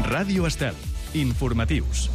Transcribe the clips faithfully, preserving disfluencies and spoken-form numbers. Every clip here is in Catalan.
Ràdio Estel. Informatius.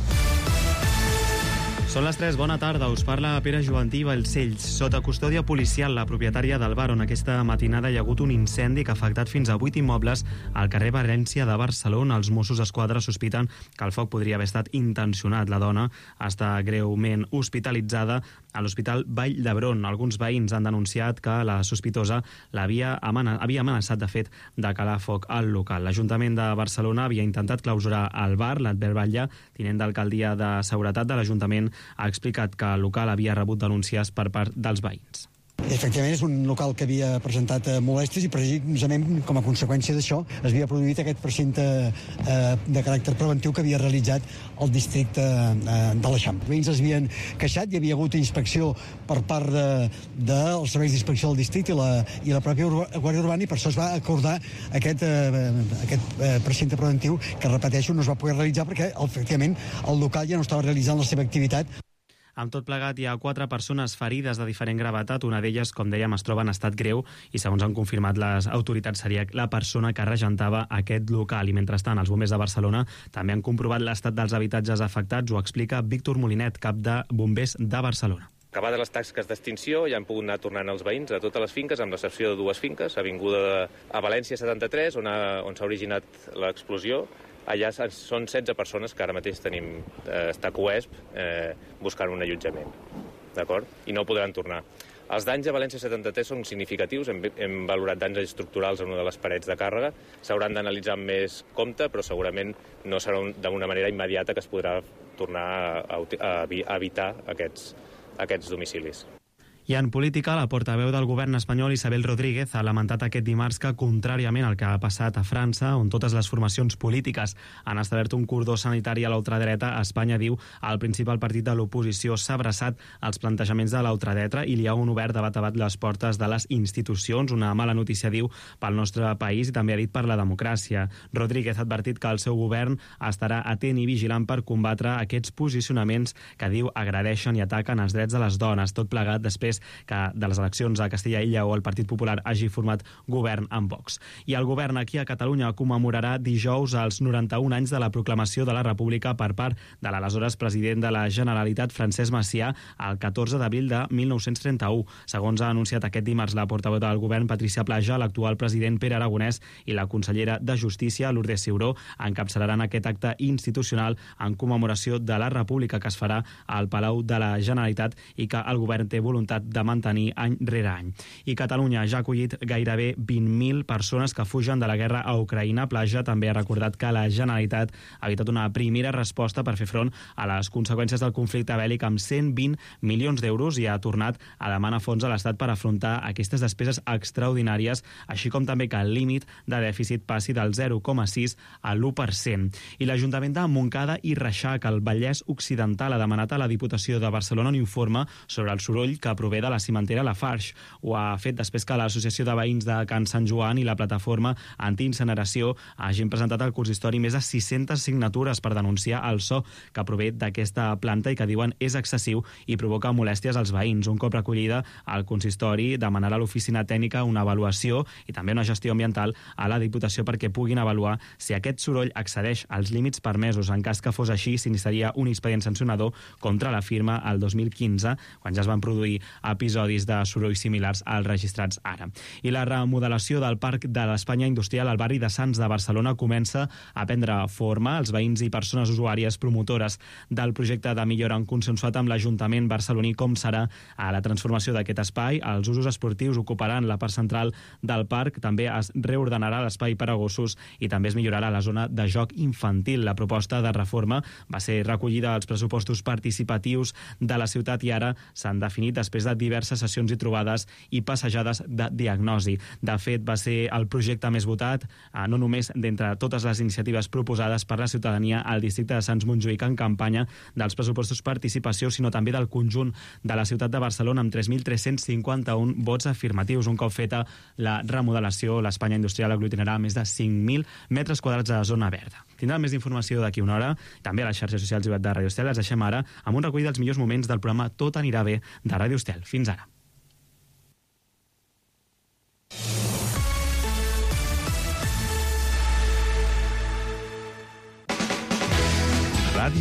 Són les tres, bona tarda, us parla Pere Jovantí Balcells. Sota custòdia policial, la propietària del bar on aquesta matinada hi ha hagut un incendi que ha afectat fins a vuit immobles al carrer València de Barcelona. Els Mossos d'Esquadra sospiten que el foc podria haver estat intencionat. La dona està greument hospitalitzada a l'Hospital Vall d'Hebron. Alguns veïns han denunciat que la sospitosa l'havia amena- havia amenaçat, de fet, de calar foc al local. L'Ajuntament de Barcelona havia intentat clausurar el bar. L'Albert Batlle, tinent d'alcaldia de Seguretat de l'Ajuntament, ha explicat que el local havia rebut denúncies per part dels veïns. Efectivament, és un local que havia presentat eh, molèsties i precisament com a conseqüència d'això es havia produït aquest precinte eh, de caràcter preventiu que havia realitzat el districte eh, de l'Eixample. Els veïns es havien queixat, hi havia hagut inspecció per part dels de, de serveis d'inspecció del districte i la, i la pròpia Guàrdia Urbana, i per això es va acordar aquest, eh, aquest eh, precinte preventiu que, repeteixo, no es va poder realitzar perquè efectivament el local ja no estava realitzant la seva activitat. Amb tot plegat, hi ha quatre persones ferides de diferent gravetat. Una d'elles, com dèiem, es troba en estat greu i, segons han confirmat les autoritats, seria la persona que regentava aquest local. I, mentrestant, els bombers de Barcelona també han comprovat l'estat dels habitatges afectats. Ho explica Víctor Molinet, cap de Bombers de Barcelona. Acabades les tasques d'extinció, ja han pogut anar tornant els veïns a totes les finques, amb l'excepció de dues finques, avinguda de, a València setanta-tres, on, ha, on s'ha originat l'explosió. Allà són setze persones que ara mateix tenim, eh, està coesp eh, buscant un allotjament, d'acord? I no podran tornar. Els danys a València setanta-tres són significatius, hem, hem valorat danys estructurals en una de les parets de càrrega, s'hauran d'analitzar amb més compte, però segurament no serà un, d'una manera immediata que es podrà tornar a, a, a evitar aquests, aquests domicilis. I en política, la portaveu del govern espanyol, Isabel Rodríguez, ha lamentat aquest dimarts que, contràriament al que ha passat a França, on totes les formacions polítiques han establert un cordó sanitari a l'ultradreta, a Espanya, diu, el principal partit de l'oposició s'ha abraçat als plantejaments de l'ultradreta i li ha obert de bat a bat les portes de les institucions. Una mala notícia, diu, pel nostre país i també ha dit per la democràcia. Rodríguez ha advertit que el seu govern estarà atent i vigilant per combatre aquests posicionaments que, diu, agredeixen i ataquen els drets de les dones. Tot plegat després que de les eleccions a Castella i Lleó el Partit Popular hagi format govern amb Vox. I el govern aquí a Catalunya commemorarà dijous els noranta-un anys de la proclamació de la República per part de l'aleshores president de la Generalitat, Francesc Macià, el catorze d'abril de mil nou-cents trenta-u. Segons ha anunciat aquest dimarts la portaveu del govern, Patricia Plaja, l'actual president Pere Aragonès i la consellera de Justícia, Lourdes Ciuró, encapçalaran aquest acte institucional en commemoració de la República que es farà al Palau de la Generalitat i que el govern té voluntat de mantenir any rere any. I Catalunya ja ha acollit gairebé vint mil persones que fugen de la guerra a Ucraïna. Plaja també ha recordat que la Generalitat ha evitat una primera resposta per fer front a les conseqüències del conflicte bèl·lic amb cent vint milions d'euros i ha tornat a demanar fons a l'Estat per afrontar aquestes despeses extraordinàries, així com també que el límit de dèficit passi del zero coma sis a l'u per cent. I l'Ajuntament de Montcada i Reixac, al Vallès Occidental, ha demanat a la Diputació de Barcelona un informe sobre el soroll que prové de la cimentera Lafarge. Ho ha fet després que l'Associació de Veïns de Can Sant Joan i la plataforma antiincineració hagin presentat al consistori més de sis-centes signatures per denunciar el so que prové d'aquesta planta i que diuen és excessiu i provoca molèsties als veïns. Un cop recollida, el consistori demanarà a l'oficina tècnica una avaluació i també una gestió ambiental a la Diputació perquè puguin avaluar si aquest soroll excedeix els límits permesos. En cas que fos així, s'iniciaria un expedient sancionador contra la firma el dos mil quinze, quan ja es van produir episodis de sorolls similars als registrats ara. I la remodelació del Parc de l'Espanya Industrial al barri de Sants de Barcelona comença a prendre forma. Els veïns i persones usuàries promotores del projecte de millora han consensuat amb l'Ajuntament barceloní com serà a la transformació d'aquest espai. Els usos esportius ocuparan la part central del parc, també es reordenarà l'espai per a gossos i també es millorarà la zona de joc infantil. La proposta de reforma va ser recollida als pressupostos participatius de la ciutat i ara s'han definit després de diverses sessions i trobades i passejades de diagnosi. De fet, va ser el projecte més votat, no només d'entre totes les iniciatives proposades per la ciutadania al districte de Sants Montjuïc en campanya dels pressupostos participació, sinó també del conjunt de la ciutat de Barcelona amb tres mil tres-cents cinquanta-un vots afirmatius. Un cop feta la remodelació, l'Espanya Industrial aglutinarà més de cinc mil metres quadrats de zona verda. Tindrà més informació d'aquí una hora, també a les xarxes socials i web de Ràdio Estel. Les deixem ara amb un recull dels millors moments del programa Tot anirà bé de Ràdio Estel. Fins ara.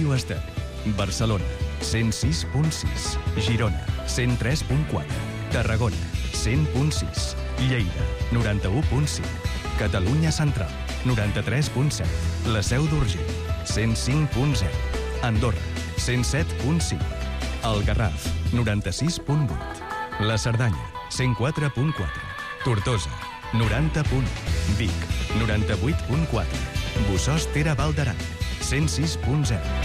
Ràdio Estel. Barcelona, cent sis punt sis. Girona, cent tres punt quatre. Tarragona, cent punt sis. Lleida, noranta-u punt cinc. Catalunya Central, noranta-tres punt set. La Seu d'Urgell, cent cinc punt zero. Andorra, cent set punt cinc. El Garraf, noranta-sis punt vuit. La Cerdanya, cent quatre punt quatre. Tortosa, noranta punt u. Vic, noranta-vuit punt quatre. Bossòst Tere Val d'Aran, cent sis punt zero.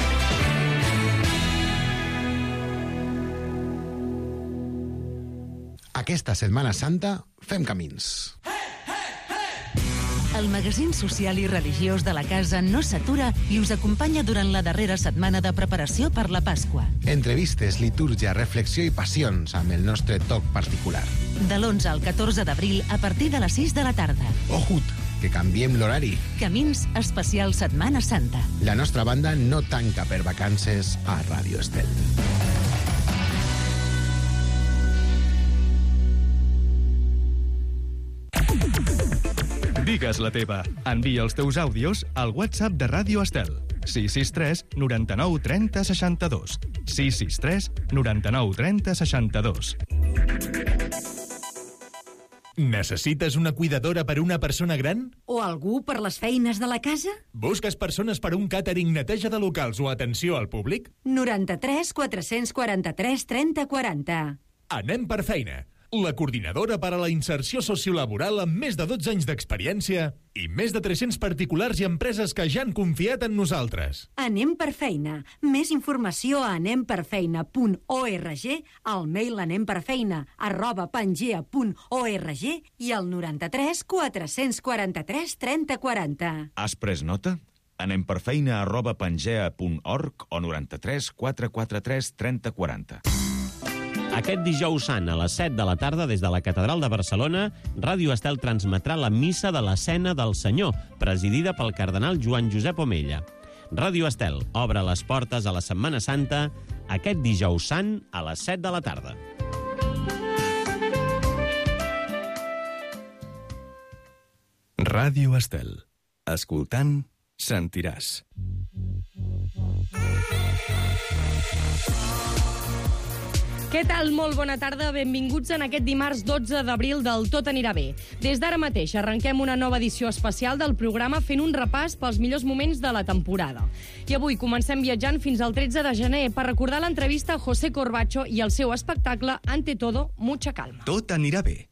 Aquesta Setmana Santa fem camins. El magazín social i religiós de la casa no s'atura i us acompanya durant la darrera setmana de preparació per la Pasqua. Entrevistes, litúrgia, reflexió i passions amb el nostre toc particular. De l'onze al catorze d'abril a partir de les sis de la tarda. Ojut, que canviem l'horari. Camins especial Setmana Santa. La nostra banda no tanca per vacances a Ràdio Estel. Digues la teva. Envia els teus àudios al WhatsApp de Ràdio Estel. sis sis tres noranta-nou trenta seixanta-dos. sis sis tres noranta-nou trenta seixanta-dos. Necessites una cuidadora per una persona gran? O algú per les feines de la casa? Busques persones per un càtering, neteja de locals o atenció al públic? noranta-tres quatre-cents quaranta-tres trenta quaranta. Anem per feina. La coordinadora per a la inserció sociolaboral amb més de dotze anys d'experiència i més de tres-cents particulars i empreses que ja han confiat en nosaltres. Anem per feina. Més informació a anem per feina punt org, al mail anemperfeina arroba pangea punt org i al noranta-tres quatre-cents quaranta-tres trenta quaranta. Has pres nota? Anem per feina arroba pangea punt org o noranta-tres quatre quaranta-tres trenta quaranta. Aquest dijous sant, a les set de la tarda, des de la Catedral de Barcelona, Ràdio Estel transmetrà la Missa de l'Escena del Senyor, presidida pel cardenal Joan Josep Omella. Ràdio Estel obre les portes a la Setmana Santa aquest dijous sant a les set de la tarda. Ràdio Estel. Escoltant, sentiràs. Què tal? Molt bona tarda. Benvinguts en aquest dimarts dotze d'abril del Tot anirà bé. Des d'ara mateix arrenquem una nova edició especial del programa fent un repàs pels millors moments de la temporada. I avui comencem viatjant fins al tretze de gener per recordar l'entrevista a José Corbacho i el seu espectacle Ante todo, mucha calma. Tot anirà bé.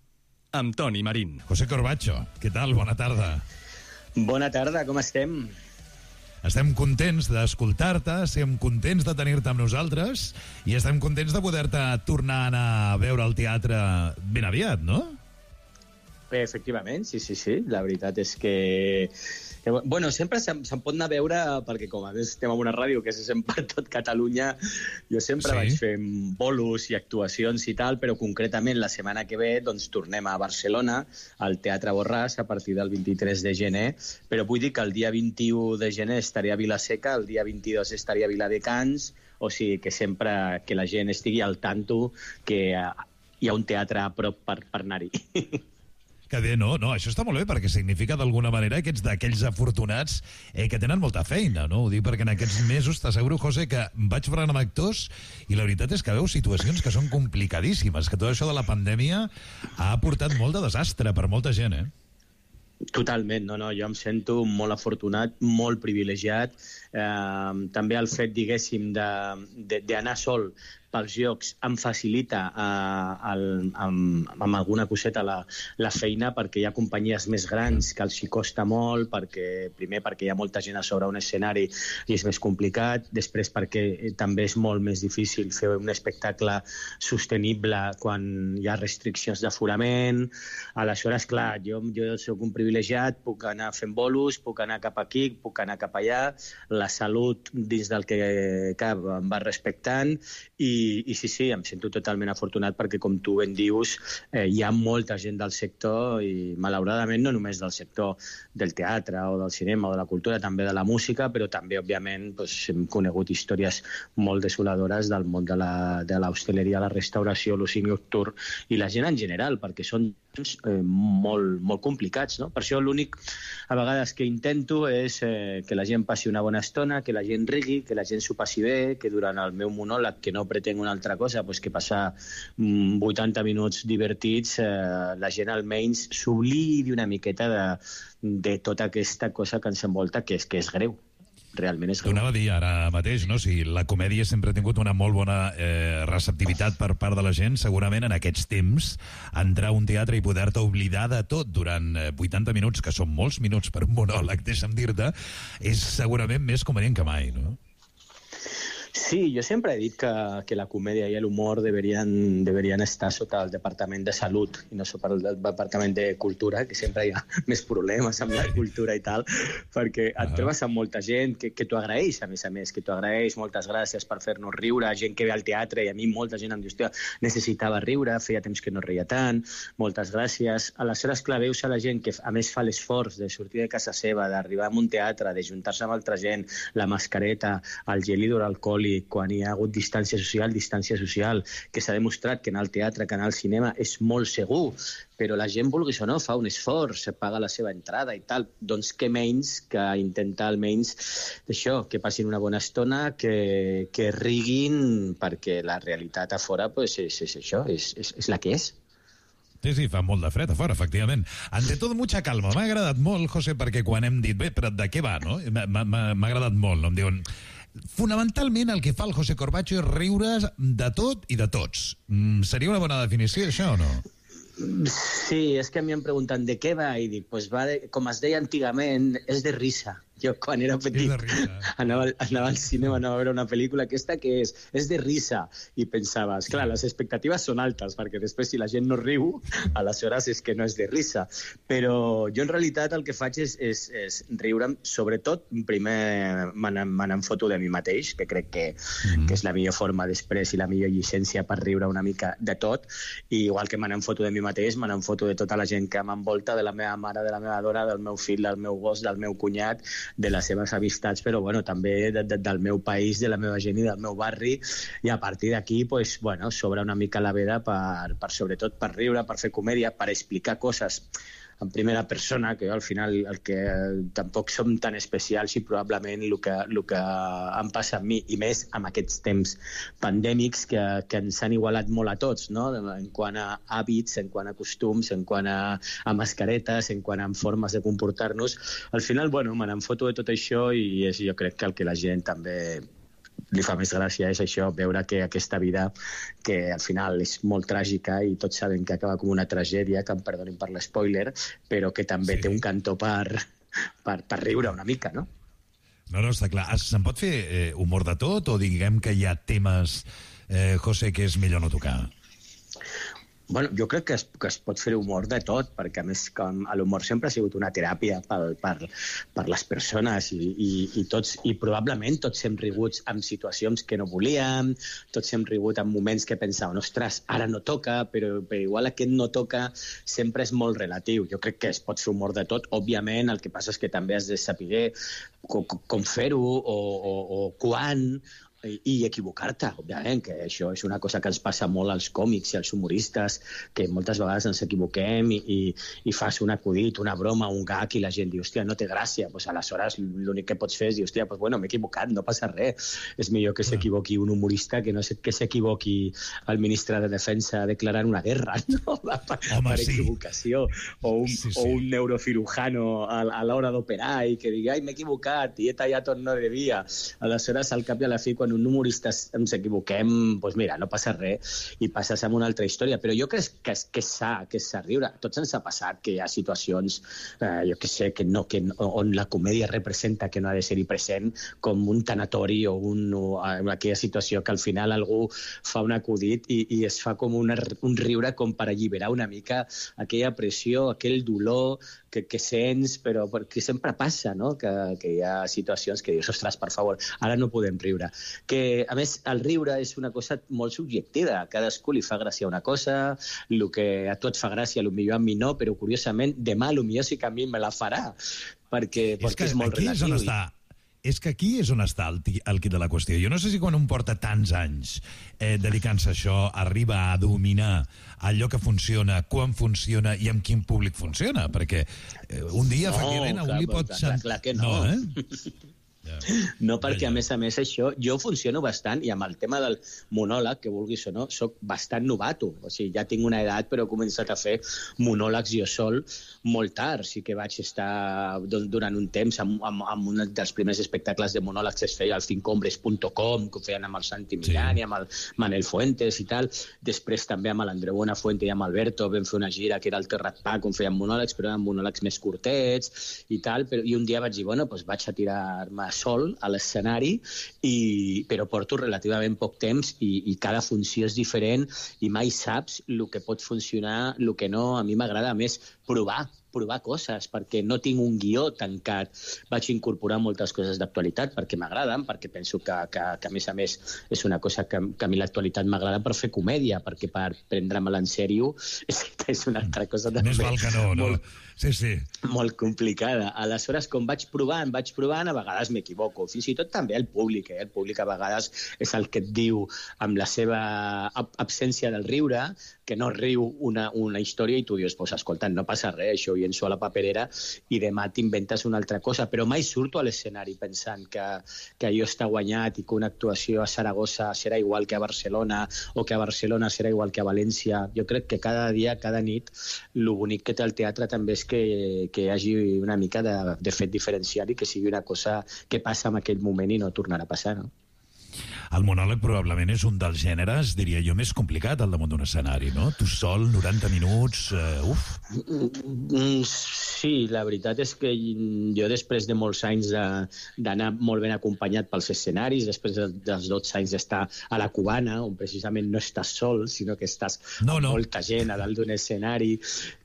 Amb Toni Marín. José Corbacho, què tal? Bona tarda. Bona tarda, com estem? Estem contents d'escoltar-te, estem contents de tenir-te amb nosaltres i estem contents de poder-te tornar a anar a veure al teatre ben aviat, no? Bé, efectivament, sí, sí, sí. La veritat és que... Bueno, sempre se'n se pot anar a veure, perquè com a més estem en una ràdio que se sent per tot Catalunya, jo sempre sí. vaig fent bolos i actuacions i tal, però concretament la setmana que ve doncs tornem a Barcelona, al Teatre Borràs, a partir del vint-i-tres de gener, però vull dir que el dia vint-i-u de gener estaria a Vila-seca, el dia vint-i-dos estaria a Viladecans, o sigui que sempre que la gent estigui al tanto que hi ha un teatre a prop per, per anar-hi. Que bé, no, no, això està molt bé, perquè significa d'alguna manera que ets d'aquells afortunats eh, que tenen molta feina, no? Ho dic perquè en aquests mesos t'asseguro, José, que vaig parlant amb actors i la veritat és que veus situacions que són complicadíssimes, que tot això de la pandèmia ha portat molt de desastre per molta gent, eh? Totalment, no, no, jo em sento molt afortunat, molt privilegiat. Eh, també el fet, diguéssim, d'anar sol pels llocs em facilita eh, el, amb, amb alguna coseta la, la feina, perquè hi ha companyies més grans que els hi costa molt, perquè, primer perquè hi ha molta gent a sobre un escenari i és més complicat, després perquè també és molt més difícil fer un espectacle sostenible quan hi ha restriccions d'aforament. Aleshores, clar, jo, jo soc un privilegiat, puc anar fent bolos, puc anar cap aquí, puc anar cap allà, la salut dins del que cap em va respectant i I, i sí, sí, em sento totalment afortunat perquè, com tu ben dius, eh, hi ha molta gent del sector i, malauradament, no només del sector del teatre o del cinema o de la cultura, també de la música, però també, òbviament, doncs, hem conegut històries molt desoladores del món de l'hostaleria, la, la restauració, l'oci nocturn i la gent en general, perquè són eh, molt, molt complicats, no? Per això l'únic, a vegades, que intento és eh, que la gent passi una bona estona, que la gent rigui, que la gent s'ho passi bé, que durant el meu monòleg, que no pretenc una altra cosa, pues que passar mm, vuitanta minuts divertits, eh, la gent almenys s'oblidi una miqueta de, de tota aquesta cosa que ens envolta, que és, que és greu. Realment és greu. T'ho anava a dir ara mateix, no? Si la comèdia sempre ha tingut una molt bona eh, receptivitat per part de la gent, segurament en aquests temps entrar a un teatre i poder-te oblidar de tot durant vuitanta minuts, que són molts minuts per un monòleg, deixa'm dir-te, és segurament més convenient que mai, no? Sí, jo sempre he dit que, que la comèdia i l'humor deberien, deberien estar sota el Departament de Salut i no sota el Departament de Cultura, que sempre hi ha més problemes amb la cultura i tal, perquè et trobes amb molta gent que, que t'ho agraeix, a més a més, que t'ho agraeix, moltes gràcies per fer-nos riure, gent que ve al teatre, i a mi molta gent em diu, hòstia, necessitava riure, feia temps que no reia tant, moltes gràcies. Aleshores, clar, veus a la gent que a més fa l'esforç de sortir de casa seva, d'arribar a un teatre, de juntar-se amb altra gent, la mascareta, el gel hidroalcohòlic, quan hi ha hagut distància social, distància social, que s'ha demostrat que anar al teatre, que anar al cinema és molt segur, però la gent, vulguis o no, fa un esforç, paga la seva entrada i tal. Doncs què menys que intentar almenys això, que passin una bona estona, que, que riguin, perquè la realitat a fora pues, és, és això, és, és, és la que és. Sí, sí, fa molt de fred a fora, efectivament. Ante tot, mucha calma. M'ha agradat molt, José, perquè quan hem dit, bé, però de què va, no? M'ha agradat molt, no? Em diuen... Fonamentalment el que fa el José Corbacho és riure de tot i de tots. Mm, seria una bona definició, això, o no? Sí, és que a mi em pregunten de què va i dic, pues va de, com es deia antigament, és de risa. Jo, quan era petit, anava, anava al cinema, anava a veure una pel·lícula, aquesta que és? És de risa. I pensaves, clar, les expectatives són altes, perquè després si la gent no riu, aleshores és que no és de risa. Però jo en realitat el que faig és, és, és riure'm, sobretot, primer me n'en foto de mi mateix, que crec que, mm. que és la millor forma després i la millor llicència per riure una mica de tot, i igual que me n'en foto de mi mateix, me n'en foto de tota la gent que m'envolta, de la meva mare, de la meva dona, del meu fill, del meu gos, del meu cunyat, de les seves amistats, però bueno, també de, de, del meu país, de la meva gent i del meu barri, i a partir d'aquí pues, bueno, s'obre una mica la veda per, per sobretot per riure, per fer comèdia, per explicar coses en primera persona, que jo al final el que tampoc som tan especials i probablement el que, el que em passa a mi, i més amb aquests temps pandèmics que, que ens han igualat molt a tots, no? En quant a hàbits, en quant a costums, en quant a, a mascaretes, en quant a formes de comportar-nos. Al final, bueno, me n'en foto de tot això i és, jo crec que el que la gent també li fa més gràcia és això, veure que aquesta vida, que al final és molt tràgica i tots saben que acaba com una tragèdia, que em perdonin per l'espoiler, però que també sí. té un cantó per, per, per riure una mica, no? No, no, està clar. Se'n pot fer eh, humor de tot o diguem que hi ha temes, eh, José, que és millor no tocar? Bueno, jo crec que es, que es pot fer humor de tot, perquè a més com l'humor sempre ha sigut una teràpia per, per, per les persones i, i, i, tots, i probablement tots hem rigut en situacions que no volíem, tots hem rigut en moments que pensàvem, ostres, ara no toca, però, però igual aquest no toca sempre és molt relatiu. Jo crec que es pot fer humor de tot, òbviament, el que passa és que també has de saber com, com fer-ho o, o, o quan, i equivocar-te, òbviament, que això és una cosa que ens passa molt als còmics i als humoristes, que moltes vegades ens equivoquem i, i, i fas un acudit, una broma, un gag, i la gent diu, hòstia, no té gràcia. Pues aleshores l'únic que pots fer és dir, hòstia, pues bueno, m'he equivocat, no passa res. És millor que s'equivoqui un humorista que no que s'equivoqui el ministre de Defensa declarant una guerra, no? Per, Home, per sí. equivocació. O un, sí, sí. o un neurocirujano a, a l'hora d'operar i que digui, ai, m'he equivocat i he tallat on no devia. Aleshores, al cap i a la fi, quan un humorista ens equivoquem, doncs mira, no passa res i passes a una altra història. Però jo crec que, que és sa, que és sa riure. Tots ens ha passat que hi ha situacions, eh, jo que sé, que no, que, on la comèdia representa que no ha de ser-hi present, com un tanatori o, un, o aquella situació que al final algú fa un acudit i, i es fa com una, un riure com per alliberar una mica aquella pressió, aquell dolor que, que sents, però que sempre passa, no? Que, que hi ha situacions que dius, ostres, per favor, ara no podem riure. que, a més, el riure és una cosa molt subjectiva. A cadascú li fa gràcia una cosa, el que a tu et fa gràcia, potser a mi no, però curiosament demà potser sí que a mi me la farà, perquè, és, perquè que és molt aquí relatiu. És on està. És que aquí és on està el, el quid de la qüestió. Jo no sé si quan un porta tants anys eh, dedicant-se a això arriba a dominar allò que funciona, quan funciona i amb quin públic funciona, perquè eh, un dia, no, efectivament, a un li pot... Clar, clar, clar que no. No, eh? No, perquè a més a més això, jo funciono bastant, i amb el tema del monòleg, que vulguis o no, soc bastant novato. O sigui, ja tinc una edat, però he començat a fer monòlegs jo sol molt tard. Sí que vaig estar durant un temps amb, amb, amb un dels primers espectacles de monòlegs que es feia al cincombres punt com, que ho feien amb el Santi Millán i amb el Manel Fuentes i tal. Després també amb l'Andreu Buenafuente i amb Alberto vam fer una gira que era el Terrat Pack, on feien monòlegs, però eren monòlegs més curtets i tal. Però, i un dia vaig dir, bueno, doncs vaig a tirar-me sol a l'escenari, i, però porto relativament poc temps i, i cada funció és diferent i mai saps el que pot funcionar, el que no. A mi m'agrada més provar, provar coses, perquè no tinc un guió tancat. Vaig incorporar moltes coses d'actualitat perquè m'agraden, perquè penso que, que, que a més a més és una cosa que, que a mi l'actualitat m'agrada per fer comèdia, perquè per prendre-me-la en sèrio és, és una altra cosa també. Més val que no, no? Molt, sí, sí. Molt complicada. Aleshores, com vaig provant, vaig provant, a vegades m'equivoco. Fins i tot també el públic, eh? El públic a vegades és el que et diu, amb la seva absència del riure, que no riu una, una història i tu dius, pues, escolta, no passa res, això ho llenço a la paperera i demà t'inventes una altra cosa. Però mai surto a l'escenari pensant que, que allò està guanyat i que una actuació a Saragossa serà igual que a Barcelona o que a Barcelona serà igual que a València. Jo crec que cada dia, cada nit, el bonic que té el teatre també és que, que hi hagi una mica de, de fet diferencial i que sigui una cosa que passa en aquell moment i no tornarà a passar, no? El monòleg probablement és un dels gèneres, diria jo, més complicat al damunt d'un escenari, no? Tu sol, noranta minuts, uh, uf. Sí, la veritat és que jo després de molts anys d'anar molt ben acompanyat pels escenaris, després dels dotze anys d'estar a la Cubana, on precisament no estàs sol, sinó que estàs no, no. amb molta gent a dalt d'un escenari,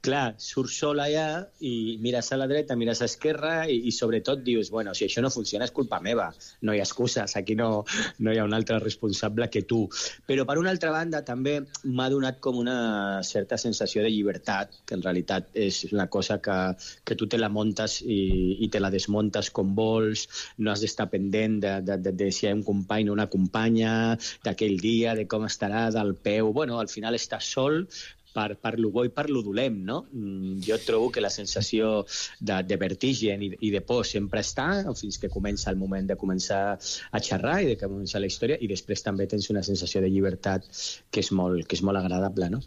clar, surts sol allà i mires a la dreta, mires a l'esquerra i, i sobretot dius, bueno, si això no funciona és culpa meva, no hi ha excuses, aquí no, no hi ha un altre responsable que tu. Però per una altra banda també m'ha donat com una certa sensació de llibertat, que en realitat és una cosa que, que tu te la muntes i, i te la desmuntes com vols, no has d'estar pendent de, de, de, de si hi ha un company o una companya, d'aquell dia, de com estarà, del peu. Bueno, al final estàs sol, per, per lo bo i per lo dolent, no? Jo trobo que la sensació de, de vertigen i, i de por sempre està, fins que comença el moment de començar a xerrar i de començar la història, i després també tens una sensació de llibertat que és molt, que és molt agradable, no?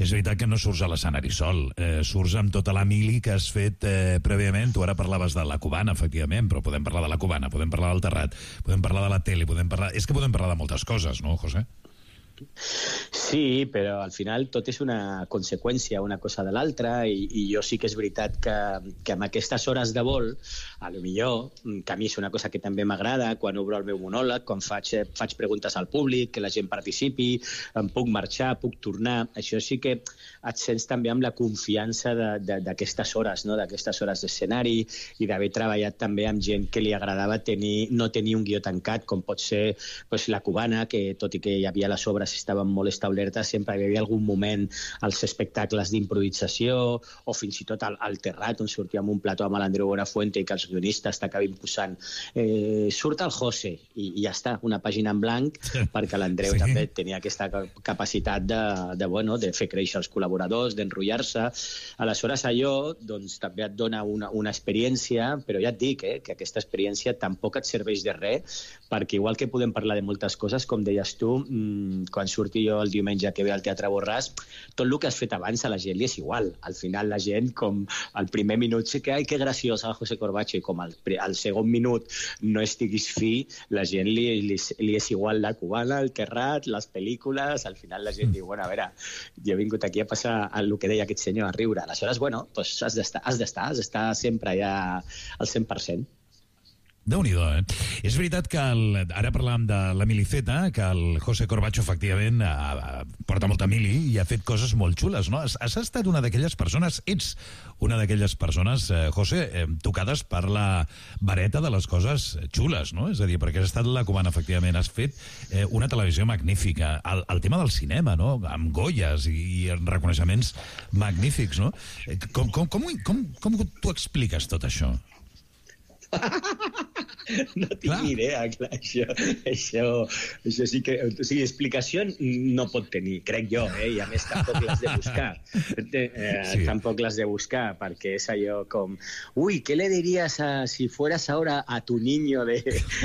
És veritat que no surts a l'escenari sol, eh, surts amb tota la mili que has fet eh, prèviament. Tu ara parlaves de la Cubana, efectivament, però podem parlar de la Cubana, podem parlar del Terrat, podem parlar de la tele, podem parlar... És que podem parlar de moltes coses, no, José? Sí, però al final tot és una conseqüència una cosa de l'altra, i, i jo sí que és veritat que, que amb aquestes hores de vol, a lo millor, que a mi és una cosa que també m'agrada, quan obro el meu monòleg, quan faig, faig preguntes al públic, que la gent participi, em puc marxar, puc tornar, això sí que et sents també amb la confiança d'aquestes hores, no? D'aquestes hores d'escenari, i d'haver treballat també amb gent que li agradava tenir, no tenir un guió tancat, com pot ser pues, la Cubana, que tot i que hi havia les obres estaven molt establertes, sempre hi havia algun moment als espectacles d'improvisació, o fins i tot al, al Terrat, on sortíem un plató amb l'Andreu Buenafuente i que els guionistes t'acabin posant eh, surt el José, i, i ja està, una pàgina en blanc, perquè l'Andreu sí. també tenia aquesta capacitat de, de, bueno, de fer créixer els col·laboradors, d'enrotllar-se. Aleshores allò doncs, també et dona una, una experiència, però ja et dic eh, que aquesta experiència tampoc et serveix de res, perquè igual que podem parlar de moltes coses, com deies tu, mmm, quan surti jo el diumenge que ve al Teatre Borràs, tot el que has fet abans a la gent li és igual. Al final la gent, com al primer minut sí que, ai, que graciós el José Corbacho, i com al, al segon minut no estiguis fi, la gent li, li, li és igual la Cubana, el Terrat, les pel·lícules, al final la gent diu, bueno, a veure, jo he vingut aquí a passar el que deia aquest senyor, a riure. Aleshores, bueno, doncs has d'estar, has d'estar, has d'estar sempre ja al cent per cent. Déu-n'hi-do, eh? És veritat que el, ara parlàvem de la miliceta, que el José Corbacho, efectivament, a, a, porta molta mili i ha fet coses molt xules, no? Has, has estat una d'aquelles persones, ets una d'aquelles persones, eh, José, eh, tocades per la vareta de les coses xules, no? És a dir, perquè has estat la cubana, efectivament, has fet eh, una televisió magnífica. El, el tema del cinema, no? Amb Goyes i, i reconeixements magnífics, no? Com, com, com, com, com t'ho expliques tot això? No tinc clar. ni idea, clar, això, això, això sí que... O sigui, explicació no pot tenir, crec jo, eh? I a més tampoc l'has de buscar. Eh, sí. Tampoc l'has de buscar, perquè és allò com... Ui, què le diries a, si fueras ahora a tu niño de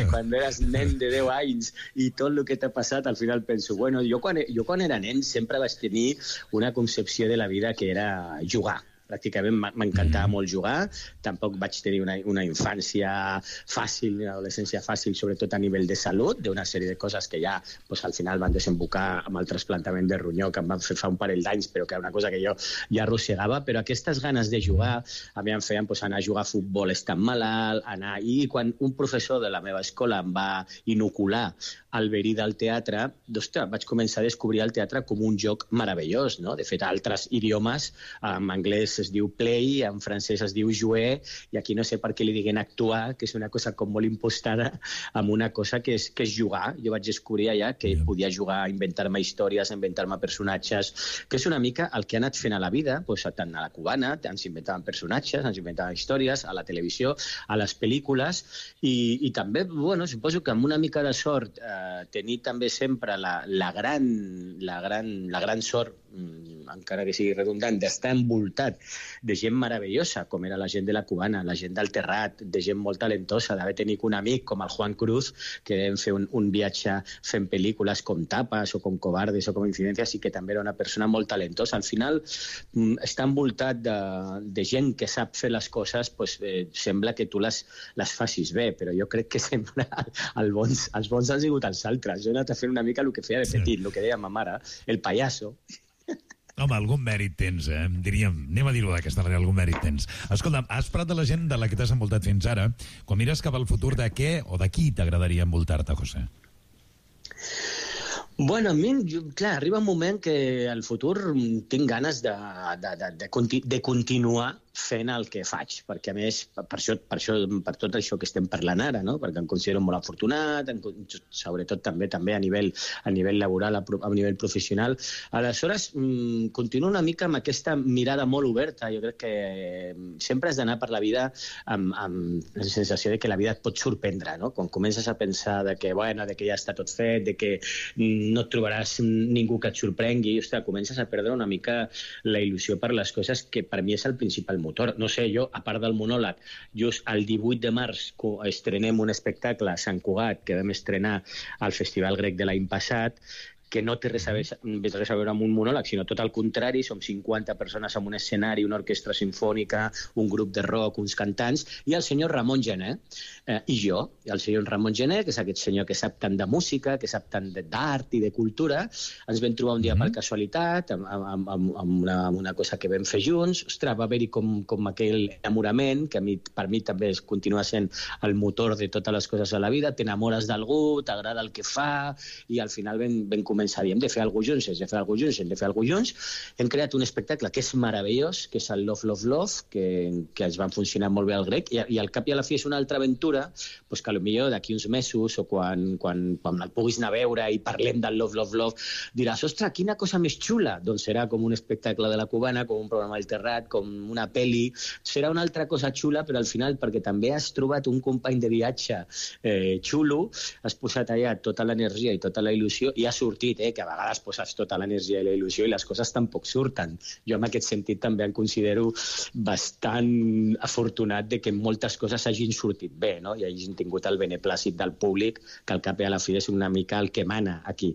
cuando eras nen de deu anys i tot el que t'ha passat? Al final penso, bueno, jo quan, jo quan era nen sempre vaig tenir una concepció de la vida que era jugar. Pràcticament m'encantava molt jugar, tampoc vaig tenir una, una infància fàcil, una adolescència fàcil, sobretot a nivell de salut, d'una sèrie de coses que ja pues, al final van desembocar amb el trasplantament de ronyó que em van fer fa un parell d'anys, però que era una cosa que jo ja arrossegava, però aquestes ganes de jugar a mi em feien pues, anar a jugar a futbol estant malalt, anar... I quan un professor de la meva escola em va inocular el verí del teatre, ostres, vaig començar a descobrir el teatre com un joc meravellós, no? De fet, altres idiomes, en anglès es diu play, en francès es diu jouer, i aquí no sé per què li diguen actuar, que és una cosa com molt impostada, amb una cosa que és, que és jugar. Jo vaig descobrir allà que yeah. podia jugar, inventar-me històries, inventar-me personatges, que és una mica el que ha anat fent a la vida, doncs, tant a la cubana, ens inventaven personatges, ens inventaven històries, a la televisió, a les pel·lícules, i, i també, bueno, suposo que amb una mica de sort, eh, tenir també sempre la, la, gran, la, gran, la gran sort, encara que sigui redundant, d'estar envoltat de gent meravellosa, com era la gent de la cubana, la gent del Terrat, de gent molt talentosa, d'haver tenit un amic com el Juan Cruz, que vam fer un, un viatge fent pel·lícules com Tapas o com Cobardes o com Incidències, i que també era una persona molt talentosa. Al final, estar envoltat de, de gent que sap fer les coses, pues, eh, sembla que tu les, les facis bé, però jo crec que sempre el bons, els bons han sigut els altres. Jo he anat a fer una mica el que feia de petit, el que deia ma mare, el payaso. Home, algun mèrit tens, eh? Diríem, anem a dir-ho d'aquesta manera, algun mèrit tens. Escolta, has parlat de la gent de la que t'has envoltat fins ara. Quan mires cap al futur, de què o de qui t'agradaria envoltar-te, José? Bueno, a mi, jo, clar, arriba un moment que al futur tinc ganes de, de, de, de, conti de continuar fent el que faig, perquè a més, per això, per això, per tot això que estem parlant ara, no? Perquè em considero molt afortunat, en, sobretot també també a nivell, a nivell laboral, a, a nivell professional. Aleshores, mmm, continuo una mica amb aquesta mirada molt oberta. Jo crec que sempre has d'anar per la vida amb, amb la sensació de que la vida et pot sorprendre, no? Quan comences a pensar de que, bueno, de que ja està tot fet, de que no et trobaràs ningú que et sorprengui, ostres, comences a perdre una mica la il·lusió per les coses, que per mi és el principal motor. No sé, jo, a part del monòleg, just el divuit de març estrenem un espectacle a Sant Cugat que vam estrenar al Festival Grec de l'any passat, que no té res a, veure, res a veure amb un monòleg, sinó tot el contrari. Som cinquanta persones en un escenari, una orquestra sinfònica, un grup de rock, uns cantants, i el senyor Ramon Gené, eh, i jo, i el senyor Ramon Gené, que és aquest senyor que sap tant de música, que sap tant d'art i de cultura. Ens vam trobar un dia per casualitat, amb, amb, amb, amb, una, amb una cosa que vam fer junts. Ostres, va haver-hi com, com aquell enamorament, que a mi, per mi també es continua sent el motor de totes les coses a la vida. T'enamores d'algú, t'agrada el que fa, i al final vam, vam començar hem de fer alguna cosa junts, hem de fer alguna cosa junts, hem de fer alguna cosa junts. Hem creat un espectacle que és meravellós, que és el Love, Love, Love, que, que ens van funcionar molt bé al Grec, i, i al cap i a la fi és una altra aventura, pues que potser d'aquí uns mesos, o quan, quan, quan el puguis anar a veure i parlem del Love, Love, Love, diràs, ostres, quina cosa més xula! Doncs serà com un espectacle de la cubana, com un programa al Terrat, com una pel·li. Serà una altra cosa xula, però al final, perquè també has trobat un company de viatge eh, xulo, has posat allà tota l'energia i tota la il·lusió, i ha sortit, eh, que a vegades poses tota l'energia i la il·lusió i les coses tampoc surten. Jo en aquest sentit també em considero bastant afortunat de que moltes coses hagin sortit bé, no? I hagin tingut el beneplàcit del públic, que al cap i a la fi és una mica el que mana aquí.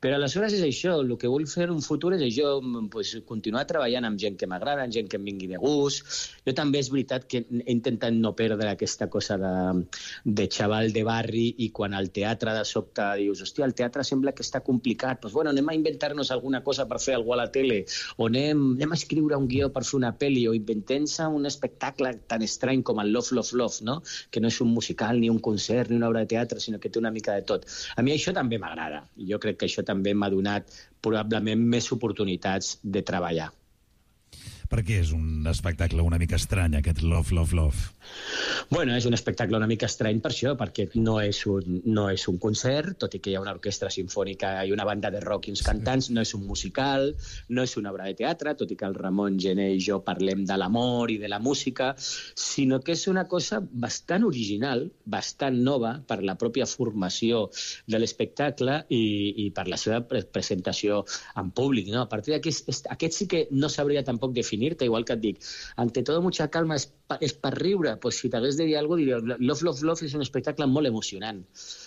Però aleshores és això, el que vull fer en un futur és això, pues, continuar treballant amb gent que m'agrada, amb gent que em vingui de gust. Jo també és veritat que he intentat no perdre aquesta cosa de, de xaval de barri, i quan al teatre de sobte dius, hòstia, el teatre sembla que està complicat complicat. Pues, bueno, anem a inventar-nos alguna cosa per fer alguna cosa a la tele, o anem, anem a escriure un guió per fer una pel·li, o inventem-se un espectacle tan estrany com el Love, Love, Love, no? Que no és un musical, ni un concert, ni una obra de teatre, sinó que té una mica de tot. A mi això també m'agrada, i jo crec que això també m'ha donat probablement més oportunitats de treballar. Per què és un espectacle una mica estrany, aquest Love, Love, Love? Bueno, és un espectacle una mica estrany per això, perquè no és un, no és un concert, tot i que hi ha una orquestra sinfònica i una banda de rock i uns cantants, no és un musical, no és una obra de teatre, tot i que el Ramon Gené i jo parlem de l'amor i de la música, sinó que és una cosa bastant original, bastant nova per la pròpia formació de l'espectacle i, i per la seva pre presentació en públic, no? A partir d'aquí, aquest sí que no sabria tampoc definir-te, igual que et dic, ante todo mucha calma, és, pa, és per riure, pues si t'hagués de dir alguna cosa, diria, Love, Love, Love és un espectacle molt emocionant.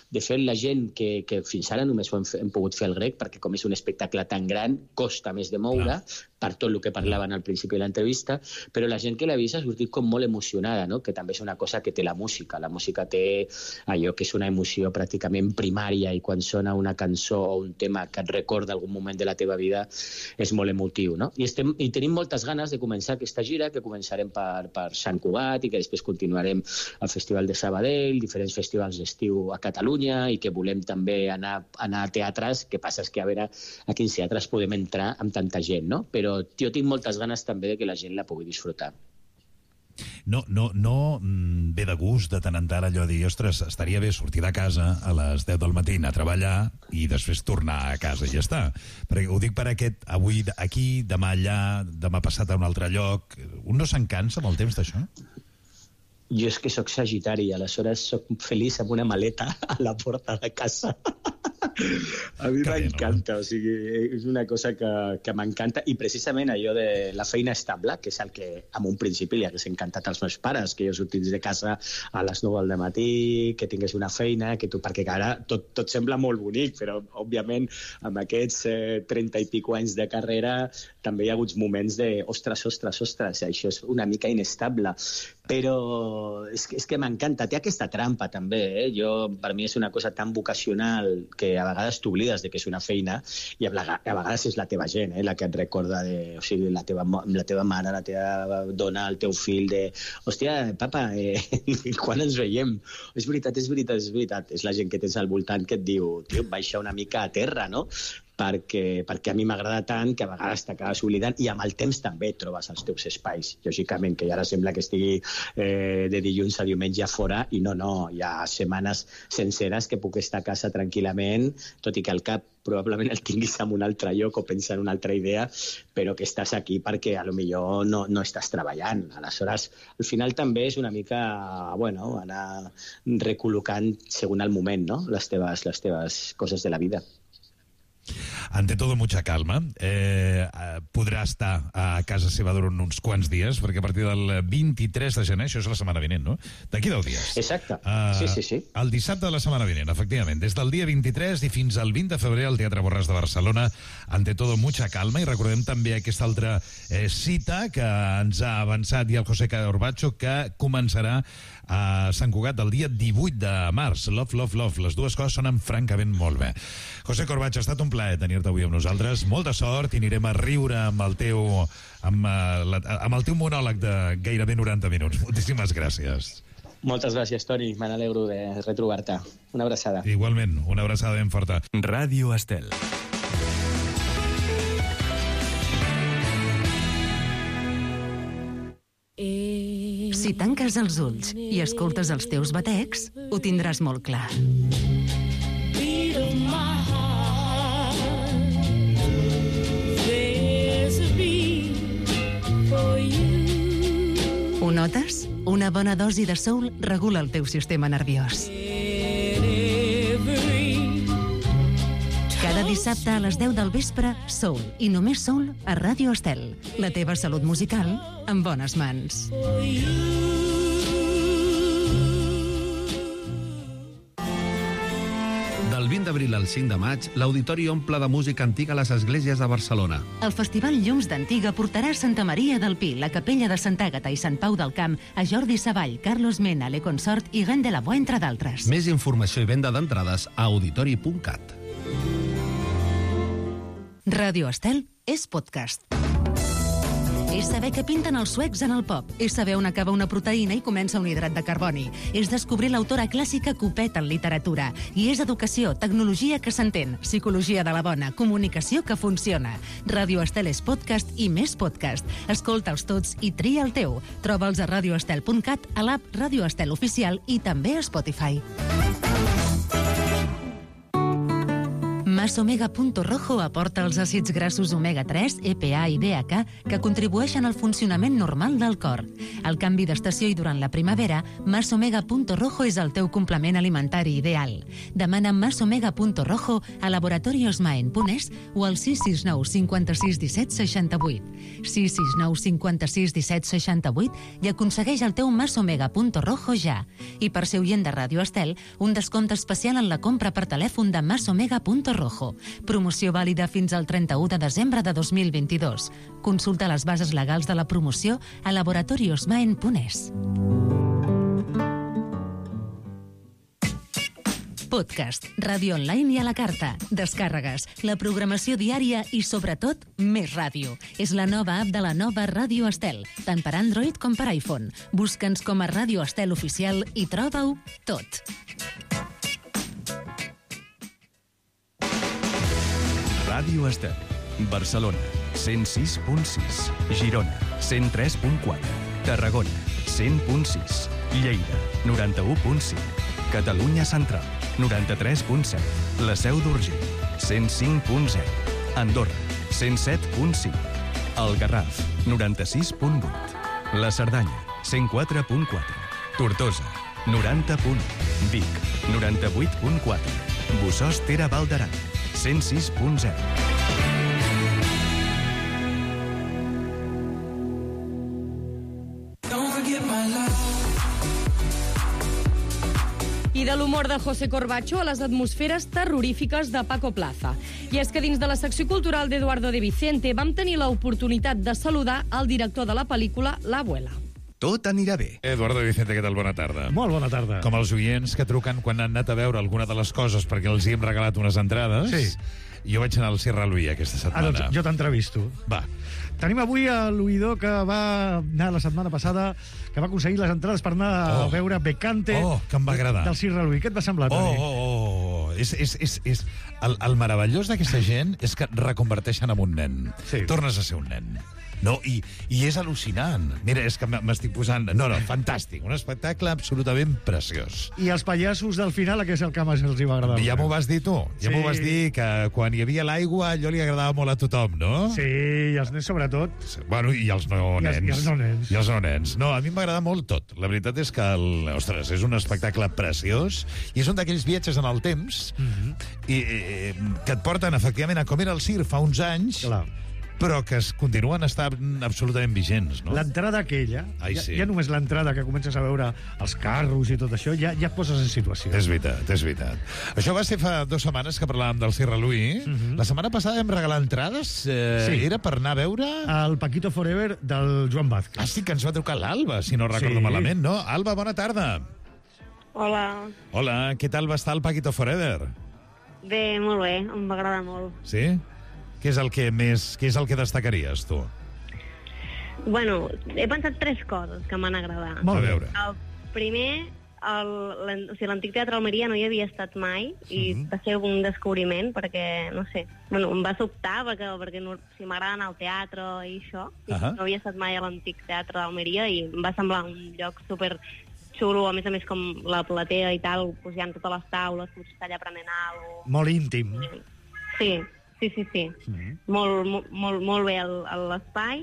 De fet, la gent que, que fins ara només ho hem, hem pogut fer el grec, perquè com és un espectacle tan gran, costa més de moure, ah. per tot el que parlaven al principi de l'entrevista, però la gent que l'ha vist ha sortit com molt emocionada, no? Que també és una cosa que té la música. La música té allò que és una emoció pràcticament primària, i quan sona una cançó o un tema que et recorda algun moment de la teva vida és molt emotiu, no? I, estem, i tenim moltes ganes de començar aquesta gira, que començarem per, per Sant Cugat i que després continuarem al Festival de Sabadell, diferents festivals d'estiu a Catalunya, i que volem també anar, anar a teatres, que passa és que a veure a quins teatres podem entrar amb tanta gent, no? Però jo tinc moltes ganes també de que la gent la pugui disfrutar. No, no, no ve de gust de tant en tant allò de dir, ostres, estaria bé sortir de casa a les deu del matí, anar a treballar i després tornar a casa i ja està. Perquè ho dic per aquest, avui aquí, demà allà, demà passat a un altre lloc. Un no se'n cansa amb el temps d'això? Jo és que sóc sagitari, aleshores sóc feliç amb una maleta a la porta de casa. A mi m'encanta, o sigui, és una cosa que, que m'encanta, i precisament allò de la feina estable, que és el que en un principi li hagués encantat als meus pares, que jo sortís de casa a les nou del matí, que tingués una feina, que tu, perquè ara tot, tot sembla molt bonic, però òbviament amb aquests eh, trenta i pico anys de carrera també hi ha hagut moments de ostres, ostres, ostres, això és una mica inestable, però és que, és que m'encanta, té aquesta trampa també, eh? Jo, per mi és una cosa tan vocacional que a vegades t'oblides de que és una feina, i a vegades és la teva gent, eh? La que et recorda de, o sigui, la teva, la teva mare, la teva dona, el teu fill, de, hòstia, papa, eh, quan ens veiem? És veritat, és veritat, és veritat, és la gent que tens al voltant que et diu, tio, baixa una mica a terra, no? Perquè, perquè a mi m'agrada tant que a vegades t'acabes oblidant, i amb el temps també trobes els teus espais. Lògicament, que ara sembla que estigui eh, de dilluns a diumenge a fora, i no, no, hi ha setmanes senceres que puc estar a casa tranquil·lament, tot i que el cap probablement el tinguis en un altre lloc o pensar en una altra idea, però que estàs aquí perquè a lo millor no, no estàs treballant. Aleshores, al final també és una mica, bueno, anar recol·locant segons el moment, no?, les teves, les teves coses de la vida. Ante todo, mucha calma. Eh, podrà estar a casa seva durant uns quants dies, perquè a partir del vint-i-tres de gener, això és la setmana vinent, no? D'aquí deu dies. Exacte. Uh, sí, sí, sí. El dissabte de la setmana vinent, efectivament. Des del dia vint-i-tres i fins al vint de febrer al Teatre Borràs de Barcelona, Ante todo, mucha calma. I recordem també aquesta altra eh, cita que ens ha avançat i el José Corbacho, que començarà a Sant Cugat el dia divuit de març. Love, love, love. Les dues coses sonen francament molt bé. José Corbacho, ha estat un plaer tenir-te avui amb nosaltres. Molta sort, i anirem a riure amb el teu, amb, la, amb el teu monòleg de gairebé noranta minuts. Moltíssimes gràcies. Moltes gràcies, Toni. Me n'alegro de retrobar-te. Una abraçada. Igualment, una abraçada ben forta. Ràdio Estel. Si tanques els ulls i escoltes els teus batecs, ho tindràs molt clar. Ho notes? Una bona dosi de soul regula el teu sistema nerviós. Cada dissabte a les deu del vespre, soul, i només soul, a Ràdio Estel. La teva salut musical en bones mans. Del vint d'abril al cinc de maig, l'Auditori omple de música antiga a les esglésies de Barcelona. El Festival Llums d'Antiga portarà a Santa Maria del Pi, la Capella de Sant Àgata i Sant Pau del Camp, a Jordi Savall, Carlos Mena, Le Consort i Gant de la Boa, entre d'altres. Més informació i venda d'entrades a auditori punt cat. Ràdio Estel és podcast. És saber què pinten els suecs en el pop. És saber on acaba una proteïna i comença un hidrat de carboni. És descobrir l'autora clàssica Copet en literatura. I és educació, tecnologia que s'entén, psicologia de la bona, comunicació que funciona. Ràdio Estel és podcast i més podcast. Escolta'ls tots i tria el teu. Troba'ls a radioestel punt cat, a l'app Ràdio Estel Oficial i també a Spotify. Masomega.rojo aporta els àcids grassos omega tres, E P A i D H A que contribueixen al funcionament normal del cor. Al canvi d'estació i durant la primavera, Masomega.rojo és el teu complement alimentari ideal. Demana Masomega.rojo a laboratoriosmaen.es o al sis sis nou cinquanta-sis disset seixanta-vuit. sis sis nou cinquanta-sis disset seixanta-vuit i aconsegueix el teu Masomega.rojo ja. I per ser oient de Ràdio Estel, un descompte especial en la compra per telèfon de Masomega.rojo. Promoció vàlida fins al trenta-u de desembre de dos mil vint-i-dos. Consulta les bases legals de la promoció a laboratoriosmaen.es. Podcast, ràdio online i a la carta, descàrregues, la programació diària i, sobretot, més ràdio. És la nova app de la nova Ràdio Estel, tant per Android com per iPhone. Busca'ns com a Ràdio Estel Oficial i troba-ho tot. Ràdio Estel, Barcelona, cent sis punt sis, Girona, cent tres punt quatre, Tarragona, cent punt sis, Lleida, noranta-u punt cinc, Catalunya Central, noranta-tres punt set, La Seu d'Urgell, cent cinc punt zero, Andorra, cent set punt cinc, El Garraf, noranta-sis punt vuit, La Cerdanya, cent quatre punt quatre, Tortosa, noranta punt u, Vic, noranta-vuit punt quatre, Bossòst Tere Val d'Aran, cent sis punt zero. I de l'humor de José Corbacho a les atmosferes terrorífiques de Paco Plaza. I és que dins de la secció cultural d'Eduardo de Vicente vam tenir l'oportunitat de saludar el director de la pel·lícula L'Abuela. Tot anirà bé. Eduardo Vicente, què tal? Bona tarda. Molt bona tarda. Com els oients que truquen quan han anat a veure alguna de les coses perquè els hi hem regalat unes entrades. Sí. Jo vaig anar al Sierra Louis aquesta setmana. Ah, doncs jo t'entrevisto. Va. Tenim avui l'oïdor que va anar la setmana passada, que va aconseguir les entrades per anar oh. a veure Becante oh, que em va agradar. del Sierra Louis. Què et va semblar, Toni? Oh, oh, oh. És, és, és, és... El, el meravellós d'aquesta gent és que et reconverteixen en un nen. Sí. Tornes a ser un nen. No, i, i és al·lucinant. Mira, és que m'estic posant... No, no, fantàstic. Un espectacle absolutament preciós. I els pallassos del final, que és el que més els hi va agradar. Ja m'ho vas dir tu. Ja sí. m'ho vas dir, que quan hi havia l'aigua allò li agradava molt a tothom, no? Sí, i els nens sobretot. Bueno, i els no I els, nens. I els no nens. I els no nens. No, a mi m'agrada molt tot. La veritat és que, el, ostres, és un espectacle preciós i és un d'aquells viatges en el temps mm-hmm. i, i, que et porten, efectivament, a com era el circ fa uns anys. Clar. Però que es continuen estant absolutament vigents, no? L'entrada aquella, Ai, ja, sí. ja només l'entrada que comences a veure els carros i tot això, ja, ja et poses en situació. És veritat, és veritat. Això va ser fa dues setmanes que parlàvem del Sierra Louis. Uh-huh. La setmana passada vam regalar entrades. Eh, sí. Era per anar a veure... El Paquito Forever del Joan Vázquez. Ah, sí, que ens va trucar l'Alba, si no recordo sí. malament, no? Alba, bona tarda. Hola. Hola, què tal va estar el Paquito Forever? Bé, molt bé, em va agradar molt. Sí? Què és el que més, què és el que destacaries, tu? Bueno, he pensat tres coses que m'han agradat. Molt a veure. El primer, el, o sigui, l'Antic Teatre Almeria no hi havia estat mai i mm-hmm. va ser un descobriment perquè, no sé, bueno, em va sobtar perquè, perquè no, si m'agrada anar al teatre i això, uh-huh. no havia estat mai a l'Antic Teatre d'Almeria i em va semblar un lloc super xulo, a més a més com la platea i tal, pues, hi ha totes les taules, potser està allà prenent alguna cosa. Molt íntim. Sí. Sí, sí, sí. Mm-hmm. Molt, molt, molt bé l'espai.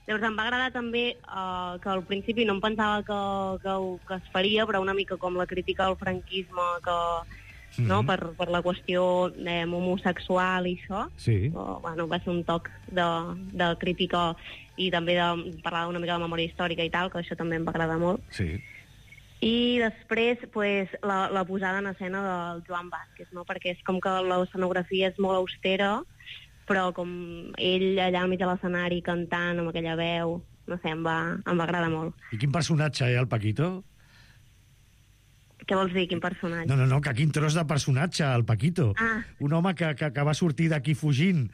Llavors em va agradar també uh, que al principi no em pensava que, que, que es faria, però una mica com la crítica al franquisme, que, mm-hmm. no, per, per la qüestió eh, homosexual i això. Sí. Uh, bueno, va ser un toc de, de crítica i també de parlar una mica de memòria històrica i tal, que això també em va agradar molt. Sí. I després, pues, la, la posada en escena del Joan Vázquez, no? Perquè és com que l'escenografia és molt austera, però com ell allà al mig de l'escenari cantant amb aquella veu, no sé, em va, em va agradar molt. I quin personatge, eh, el Paquito? Què vols dir, quin personatge? No, no, no, que quin tros de personatge, el Paquito. Ah. Un home que, que, que va sortir d'aquí fugint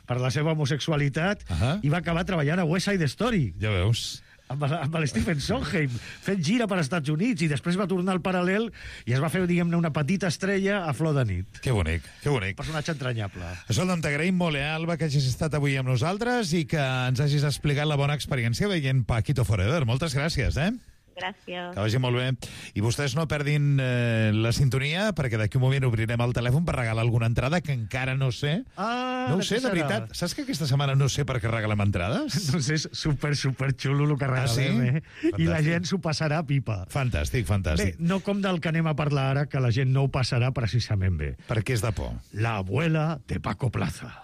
per la seva homosexualitat uh -huh. i va acabar treballant a West Side Story. Ja veus. Amb, amb el Stephen Sondheim, fent gira per als Estats Units, i després va tornar al paral·lel i es va fer, diguem-ne, una petita estrella a flor de nit. Que bonic, que bonic. Personatge entranyable. Escolta'm, t'agraïm molt, eh, Alba, que hagis estat avui amb nosaltres i que ens hagis explicat la bona experiència veient Paquito Forever. Moltes gràcies, eh? Gràcies. Que vagi molt bé. I vostès no perdin eh, la sintonia, perquè d'aquí un moment obrirem el telèfon per regalar alguna entrada que encara no sé. Ah, no ho sé, de veritat. Saps que aquesta setmana no sé per què regalem entrades? Doncs és super, super xulo el que regalem, ah, sí? eh? Fantàstic. I la gent s'ho passarà a pipa. Fantàstic, fantàstic. Bé, no com del que anem a parlar ara, que la gent no ho passarà precisament bé. Per què és de por? La abuela de Paco Plaza.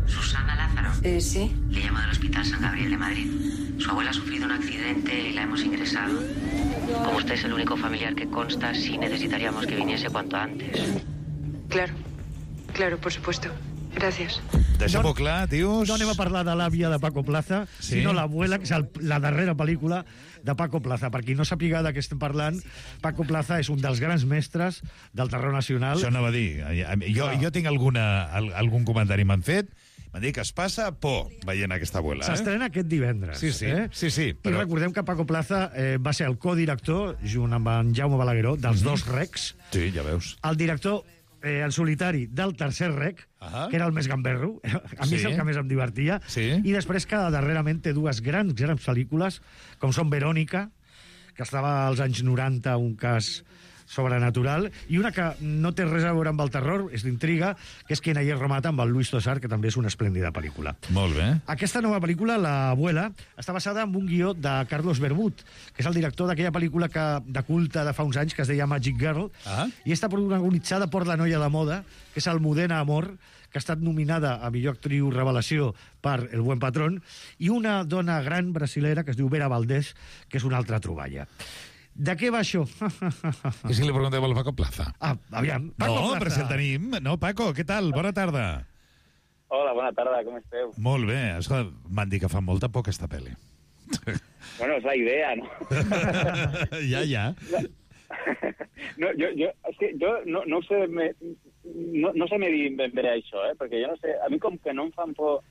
Susana Lázaro. Eh, sí. Le llamo del Hospital San Gabriel de Madrid. Su abuela ha sufrido un accidente y la hemos ingresado. Como usted es el único familiar que consta, sí necesitaríamos que viniese cuanto antes. Claro, claro, por supuesto. Gràcies. Deixem-ho no, clar, tios. No anem a parlar de l'àvia de Paco Plaza, sí? sinó l'abuela, que és el, la darrera pel·lícula de Paco Plaza. Per qui no sàpiga de què estem parlant, Paco Plaza és un dels grans mestres del terror nacional. Això anava a dir. Jo, jo tinc alguna, algun comentari m'han fet. M'han dit que es passa por veient aquesta abuela. Eh? S'estrena aquest divendres. Sí, sí. Eh? sí, sí però... I recordem que Paco Plaza eh, va ser el codirector, junt amb en Jaume Balagueró, dels mm-hmm. dos recs. Sí, ja veus. El director eh, en solitari del tercer rec, uh -huh. que era el més gamberro. A mi sí. és el que més em divertia. Sí. I després que darrerament té dues grans, grans pel·lícules, com són Verònica, que estava als anys noranta, un cas sobrenatural, i una que no té res a veure amb el terror, és d'intriga, que és Quien ayer remata, amb el Luis Tosar, que també és una esplèndida pel·lícula. Molt bé. Aquesta nova pel·lícula, La abuela, està basada en un guió de Carlos Bermud, que és el director d'aquella pel·lícula que, de culte de fa uns anys, que es deia Magic Girl, ah. i està protagonitzada per la noia de moda, que és Almudena Amor, que ha estat nominada a millor actriu revelació per El buen patrón, i una dona gran brasilera que es diu Vera Valdés, que és una altra troballa. De què va això? I si li preguntem al Paco Plaza? Ah, aviam. Paco no, Plaza. però si el tenim. No, Paco, què tal? Bona tarda. Hola, bona tarda, com esteu? Molt bé. M'han dit que fa molta por aquesta pel·li. Bueno, és la idea, no? ja, ja. No, jo, jo, és que jo no, no sé me, no, no sé medir ben bé això, eh? Perquè jo no sé, a mi com que no em fan por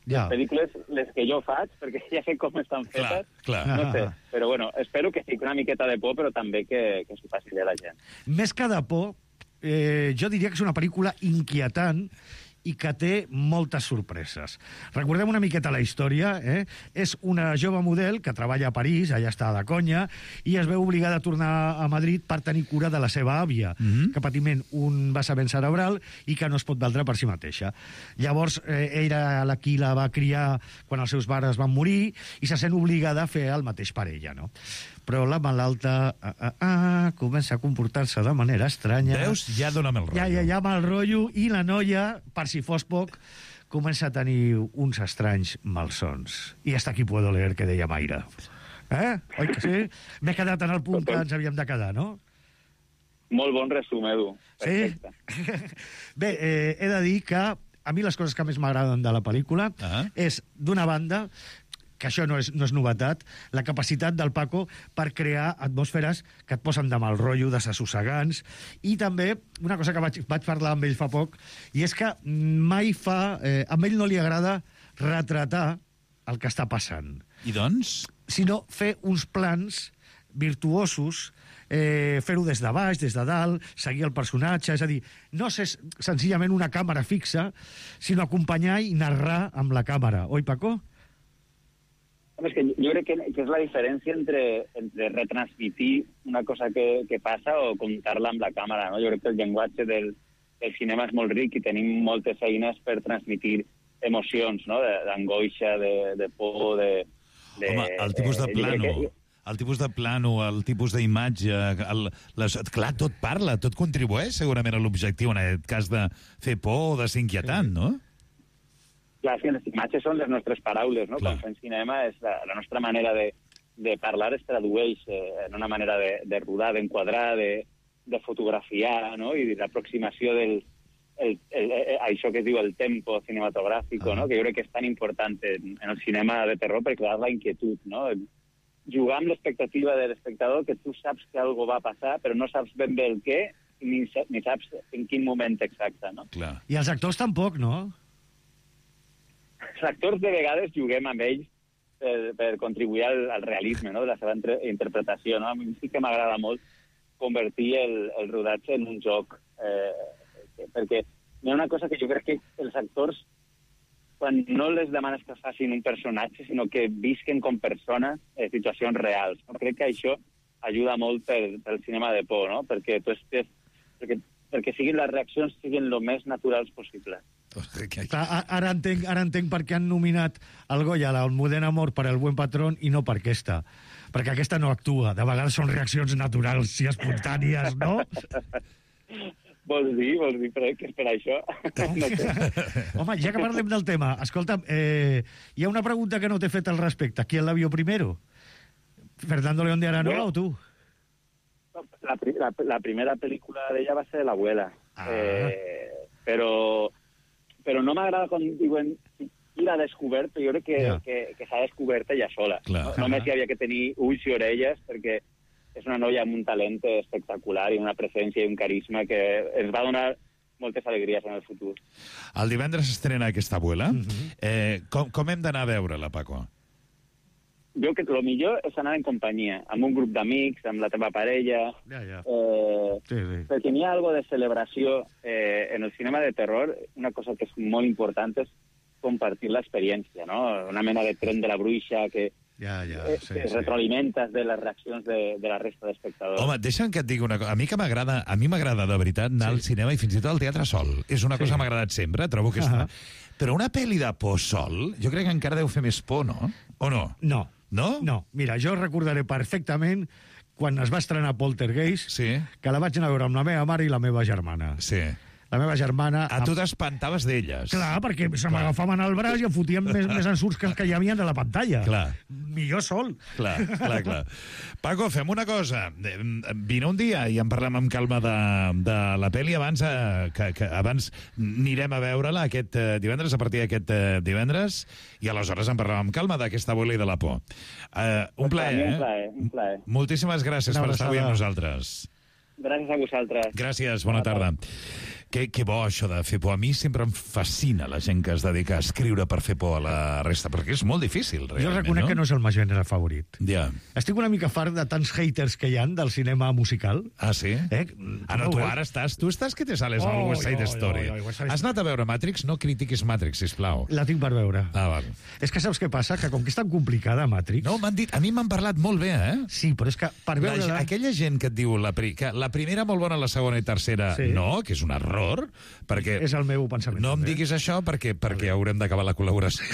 ja. les pel·lícules les que jo faig, perquè ja sé com estan fetes, clar, clar. no sé. Però bueno, espero que sigui una miqueta de por, però també que, que s'ho faci bé la gent. Més que de por, eh, jo diria que és una pel·lícula inquietant i que té moltes sorpreses. Recordem una miqueta la història, eh? És una jove model que treballa a París, allà està de conya, i es veu obligada a tornar a Madrid per tenir cura de la seva àvia, mm-hmm. que patiment un vessament cerebral i que no es pot valdre per si mateixa. Llavors, eh, era la qui la va criar quan els seus pares van morir i se sent obligada a fer el mateix per ella, no? Però la malalta ah, ah, ah, comença a comportar-se de manera estranya. Veus? Ja dóna'm el rotllo. Ja, ja, ja, mal rotllo, i la noia, per si fos poc, comença a tenir uns estranys malsons. I hasta aquí puedo leer, que deia Mayra. Eh? Oi que sí? M'he quedat en el punt que ens havíem de quedar, no? Molt bon resum, Edu. Perfecte. Sí? Bé, eh, he de dir que a mi les coses que més m'agraden de la pel·lícula uh -huh. és, d'una banda, que això no és, no és novetat, la capacitat del Paco per crear atmosferes que et posen de mal rotllo, desassossegants, i també una cosa que vaig, vaig parlar amb ell fa poc, i és que mai fa... Eh, a ell no li agrada retratar el que està passant. I doncs? Sinó fer uns plans virtuosos, eh, fer-ho des de baix, des de dalt, seguir el personatge, és a dir, no ser senzillament una càmera fixa, sinó acompanyar i narrar amb la càmera. Oi, Paco? És que jo crec que, que és la diferència entre, entre retransmitir una cosa que, que passa o contar-la amb la càmera, no? Jo crec que el llenguatge del, del cinema és molt ric i tenim moltes eines per transmitir emocions, no? D'angoixa, de, de por, de... de Home, el tipus de plano, que... el tipus de plano, el tipus d'imatge, el, les, clar, tot parla, tot contribueix segurament a l'objectiu, en aquest cas de fer por o de ser inquietant, no? Clar, que les imatges són les nostres paraules, no? Clar. Quan fem cinema, és la, la nostra manera de, de parlar es tradueix eh, en una manera de, de rodar, d'enquadrar, de, de fotografiar, no? I l'aproximació del... El, el, el, això que es diu el tempo cinematogràfic, ah. no? Que jo crec que és tan important en, en el cinema de terror per crear la inquietud, no? jugar amb l'expectativa de l'espectador, que tu saps que algo va passar, però no saps ben bé el què, ni, ni saps en quin moment exacte, no? Clar. I els actors tampoc, no? Els actors de vegades juguem amb ells per, per contribuir al, al realisme, no?, de la seva entre, interpretació, no? A mi sí que m'agrada molt convertir el, el rodatge en un joc, eh, perquè hi ha una cosa que jo crec que els actors, quan no les demanes que facin un personatge, sinó que visquen com persones eh, situacions reals. No? Crec que això ajuda molt per, pel cinema de por, no? Perquè, tu estés, perquè, perquè siguin les reaccions siguin el més naturals possible. Clar, ara, entenc, ara entenc per què han nominat el Goya a l'Almudena Amor per El buen patrón i no per aquesta. Perquè aquesta no actua. De vegades són reaccions naturals i espontànies, no? Vols dir? Vols dir per, que és per això? Home, ja que parlem del tema, escolta'm, eh, hi ha una pregunta que no t'he fet al respecte. ¿Quién la vio primero? ¿Fernando León de Aranoa bueno, o tú? La, la, la primera pel·lícula d'ella va ser L'Abuela. Ah. Eh, però, però no m'agrada quan diuen qui l'ha descobert, però jo crec que, yeah. que, que s'ha descobert ella sola. No, només hi havia que tenir ulls i orelles, perquè és una noia amb un talent espectacular i una presència i un carisma que ens va donar moltes alegries en el futur. El divendres estrena aquesta Abuela. Mm-hmm. eh, com, com hem d'anar a veure-la, Paco? Jo crec que el millor és anar en companyia, amb un grup d'amics, amb la teva parella... Ja, ja. Eh, sí, sí. Perquè n'hi ha algo de celebració eh, en el cinema de terror. Una cosa que és molt important és compartir l'experiència, no? Una mena de tren de la bruixa que... Ja, ja, sí, eh, sí. retroalimentes de les reaccions de, de la resta d'espectadors. Home, deixa'm que et digui una cosa. A mi que m'agrada, a mi m'agrada de veritat anar sí. al cinema i fins i tot al teatre sol. És una cosa sí. que m'ha agradat sempre, trobo que està... Uh-huh. Però una pel·li de por sol, jo crec que encara deu fer més por, no? O no? No. No? No. Mira, jo recordaré perfectament quan es va estrenar Poltergeist, sí. que la vaig anar a veure amb la meva mare i la meva germana. Sí. La meva germana... A tu t'espantaves d'elles. Clar, perquè se m'agafaven al braç i em fotien més, més ensurts que els que hi havia a la pantalla. Clar. Millor sol. Clar, clar, clar. Paco, fem una cosa. Vine un dia i en parlem amb calma de, de la pel·li abans, eh, que, que abans anirem a veure-la aquest eh, divendres, a partir d'aquest eh, divendres, i aleshores en parlem amb calma d'aquesta Abuela i de la por. Eh, un plaer, eh? Un plaer, un plaer. Moltíssimes gràcies per estar avui amb nosaltres. Gràcies a vosaltres. Gràcies, bona tarda. Que, que bo això de fer por. A mi sempre em fascina la gent que es dedica a escriure per fer por a la resta, perquè és molt difícil, realment, jo reconec no? que no és el meu gènere favorit. Ja. Estic una mica fart de tants haters que hi han del cinema musical. Ah, sí? Eh? Ah, no, tu ara estàs... Tu estàs que te sales oh, al West Side oh, Story. Oh, oh, oh, Has anat a veure Matrix? No critiquis Matrix, sisplau. La tinc per veure. Ah, val. És que saps què passa? Que com que és tan complicada, Matrix... No, m'han dit... A mi m'han parlat molt bé, eh? Sí, però és que per veure... La, aquella gent que et diu la, pri, que la primera molt bona, la segona i tercera sí. no, que és un error, perquè... És el meu pensament. No em diguis això perquè, perquè haurem d'acabar la col·laboració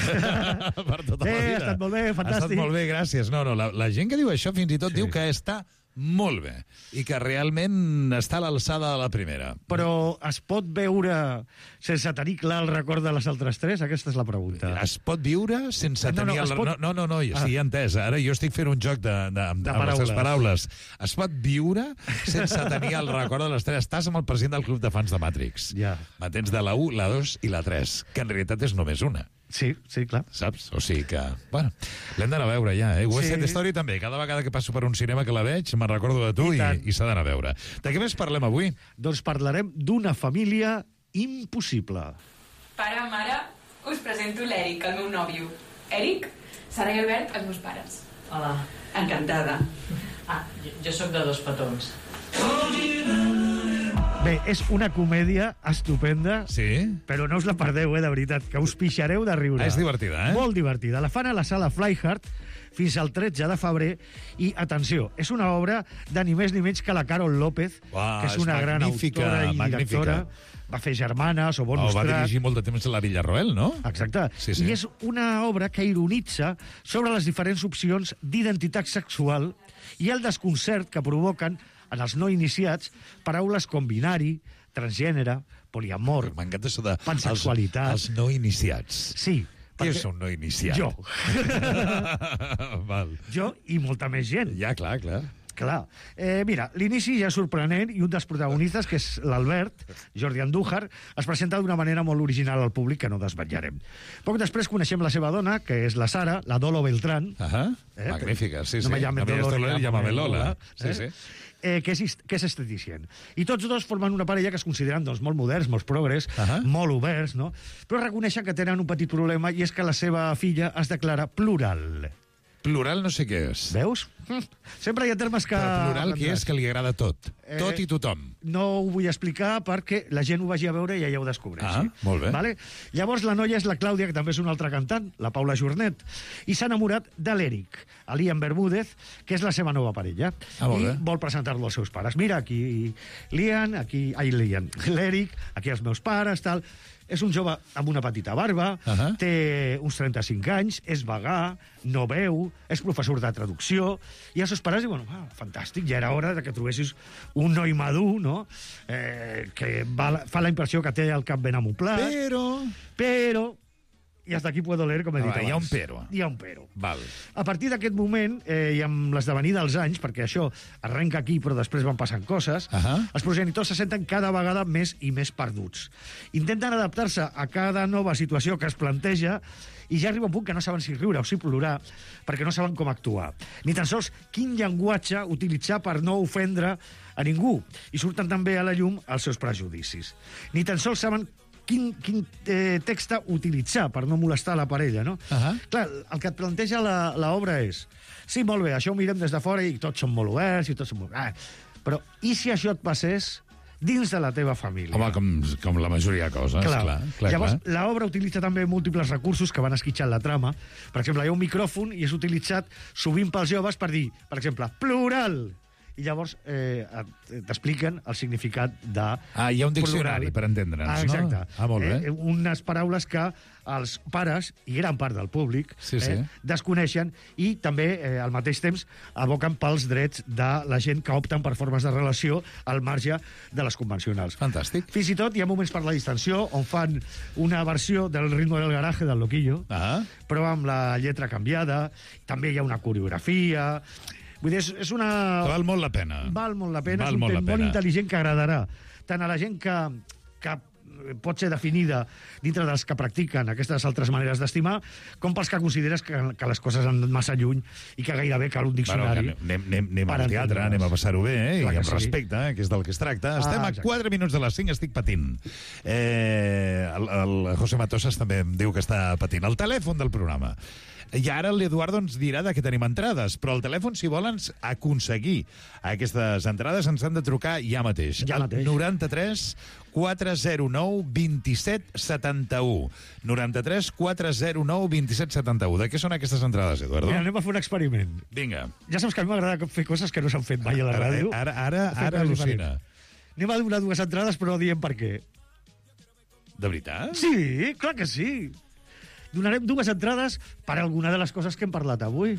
per tota eh, la vida. Ha estat molt bé, fantàstic. Ha estat molt bé, gràcies. No, no, la, la gent que diu això fins i tot sí. diu que està molt bé i que realment està a l'alçada de la primera. Però es pot veure sense tenir clar el record de les altres tres? Aquesta és la pregunta. Es pot viure sense no, tenir... No, no, el... pot... no, no, no, no ja, ah. sí, entès. Ara jo estic fent un joc de, de, de, de amb les teves paraules. Es pot viure sense tenir el record de les tres. Estàs amb el president del club de fans de Matrix. Ja. M'entens de la u, la dos i la tres, que en realitat és només una. Sí, sí, clar. Saps? O sigui que... Bueno, l'hem d'anar a veure ja, eh? West Side Story també. Cada vegada que passo per un cinema que la veig, me'n recordo de tu i, i, i s'ha d'anar a veure. De què més parlem avui? Doncs parlarem d'una família impossible. Pare, mare, us presento l'Eric, el meu nòvio. Eric, Sara i Albert, els meus pares. Hola. Encantada. Ah, jo, jo sóc de Dos petons. Bé, és una comèdia estupenda, sí? Però no us la perdeu, eh, de veritat, que us pixareu de riure. Ah, és divertida, eh? Molt divertida. La fan a la sala Flyhard fins al tretze de febrer i, atenció, és una obra de ni més ni menys que la Carol López, Uah, que és una és gran autora i directora. Va fer Germanes o Bonus oh, Track. Va dirigir molt de temps a la Villarroel, no? Exacte. Sí, sí. I és una obra que ironitza sobre les diferents opcions d'identitat sexual i el desconcert que provoquen en els no iniciats paraules com binari, transgènere, poliamor, m'encanta això de pansexualitat... Els, els no iniciats. Sí. Què és un no iniciat? Jo. Val. Jo i molta més gent. Ja, clar, clar. Clar. Eh, mira, l'inici ja és sorprenent i un dels protagonistes, que és l'Albert, Jordi Andújar, es presenta d'una manera molt original al públic que no desvetllarem. Poc després coneixem la seva dona, que és la Sara, la Dolo Beltrán. Ahà, eh? Magnífica, sí, sí. No me llamen no Dolor, Dolor, llámame Lola. Sí, eh? sí. Eh, que, és, que és esteticient. I tots dos formen una parella que es consideren doncs, molt moderns, molt progres, uh -huh. molt oberts, no? Però reconeixen que tenen un petit problema i és que la seva filla es declara plural. Plural no sé què és. Veus? Sempre hi ha termes que... Però plural què és? Que li agrada tot. Eh, Tot i tothom. No ho vull explicar perquè la gent ho vagi a veure i ja ho descobreixi. Ah, molt bé. Vale? Llavors la noia és la Clàudia, que també és una altra cantant, la Paula Jornet, i s'ha enamorat de l'Eric, Liam Bermúdez, que és la seva nova parella. Ah, molt I bé. vol presentar-lo als seus pares. Mira, aquí Liam, aquí... Ai, Liam. L'Eric, aquí els meus pares, tal... És un jove amb una petita barba, uh -huh. té uns trenta-cinc anys, és vegà, no veu, és professor de traducció, i els seus pares diuen, ah, fantàstic, ja era hora de que trobessis un noi madur, no?, eh, que va, fa la impressió que té el cap ben amoplat. Però... Però... I hasta aquí puedo leer, com he dit Ah, abans. hi ha un però. Hi ha un però. Val. A partir d'aquest moment, eh, i amb l'esdevenir dels anys, perquè això arrenca aquí però després van passant coses, uh -huh. els progenitors se senten cada vegada més i més perduts. Intenten adaptar-se a cada nova situació que es planteja i ja arriba un punt que no saben si riure o si plorar perquè no saben com actuar. Ni tan sols quin llenguatge utilitzar per no ofendre a ningú. I surten també a la llum els seus prejudicis. Ni tan sols saben quin, quin eh, text utilitzar per no molestar la parella, no? Uh -huh. Clar, el que et planteja l'obra és sí, molt bé, això ho mirem des de fora i tots són molt oberts i tots són molt... Ah, però i si això et passés dins de la teva família? Home, com, com la majoria de coses, clar. clar, clar Llavors, clar. l'obra utilitza també múltiples recursos que van esquitxant la trama. Per exemple, hi ha un micròfon i és utilitzat sovint pels joves per dir, per exemple, plural! I llavors eh, t'expliquen el significat de... Ah, hi ha un diccionari plural. per entendre'ns, ah, no? exacte. Ah, molt bé. Eh, unes paraules que els pares i gran part del públic sí, eh, sí. desconeixen i també, eh, al mateix temps, aboquen pels drets de la gent que opten per formes de relació al marge de les convencionals. Fantàstic. Fins i tot hi ha moments per la distensió on fan una versió del ritmo del garaje del Loquillo, ah. però amb la lletra canviada. També hi ha una coreografia... Vull dir, és, és una... Val molt la pena. Val molt la pena. Val és un molt tema la molt pena. intel·ligent que agradarà tant a la gent que, que pot ser definida dintre dels que practiquen aquestes altres maneres d'estimar, com pels que consideres que, que les coses han anat massa lluny i que gairebé cal un diccionari. Bueno, anem, anem, anem al teatre, entendre's. anem a passar-ho bé, eh? Clar I que amb sí. respecte, eh? Que és del que es tracta. Ah, Estem a exacte. quatre minuts de les cinc, estic patint. Eh, el, el José Matosas també em diu que està patint. El telèfon del programa. I ara l'Eduardo ens dirà de què tenim entrades, però el telèfon, si volen aconseguir aquestes entrades, ens han de trucar ja mateix. Ja mateix. noranta-tres quatre zero nou vint set setanta u. noranta-tres quatre zero nou vint set setanta u. De què són aquestes entrades, Eduardo? Mira, anem a fer un experiment. Vinga. Ja saps que a mi m'agrada fer coses que no s'han fet mai a la ràdio. Ara, ara, Fer ara coses al·lucina. diferents. Anem a donar dues entrades, però no diem per què. De veritat? Sí, clar que sí. Donarem dues entrades per alguna de les coses que hem parlat avui.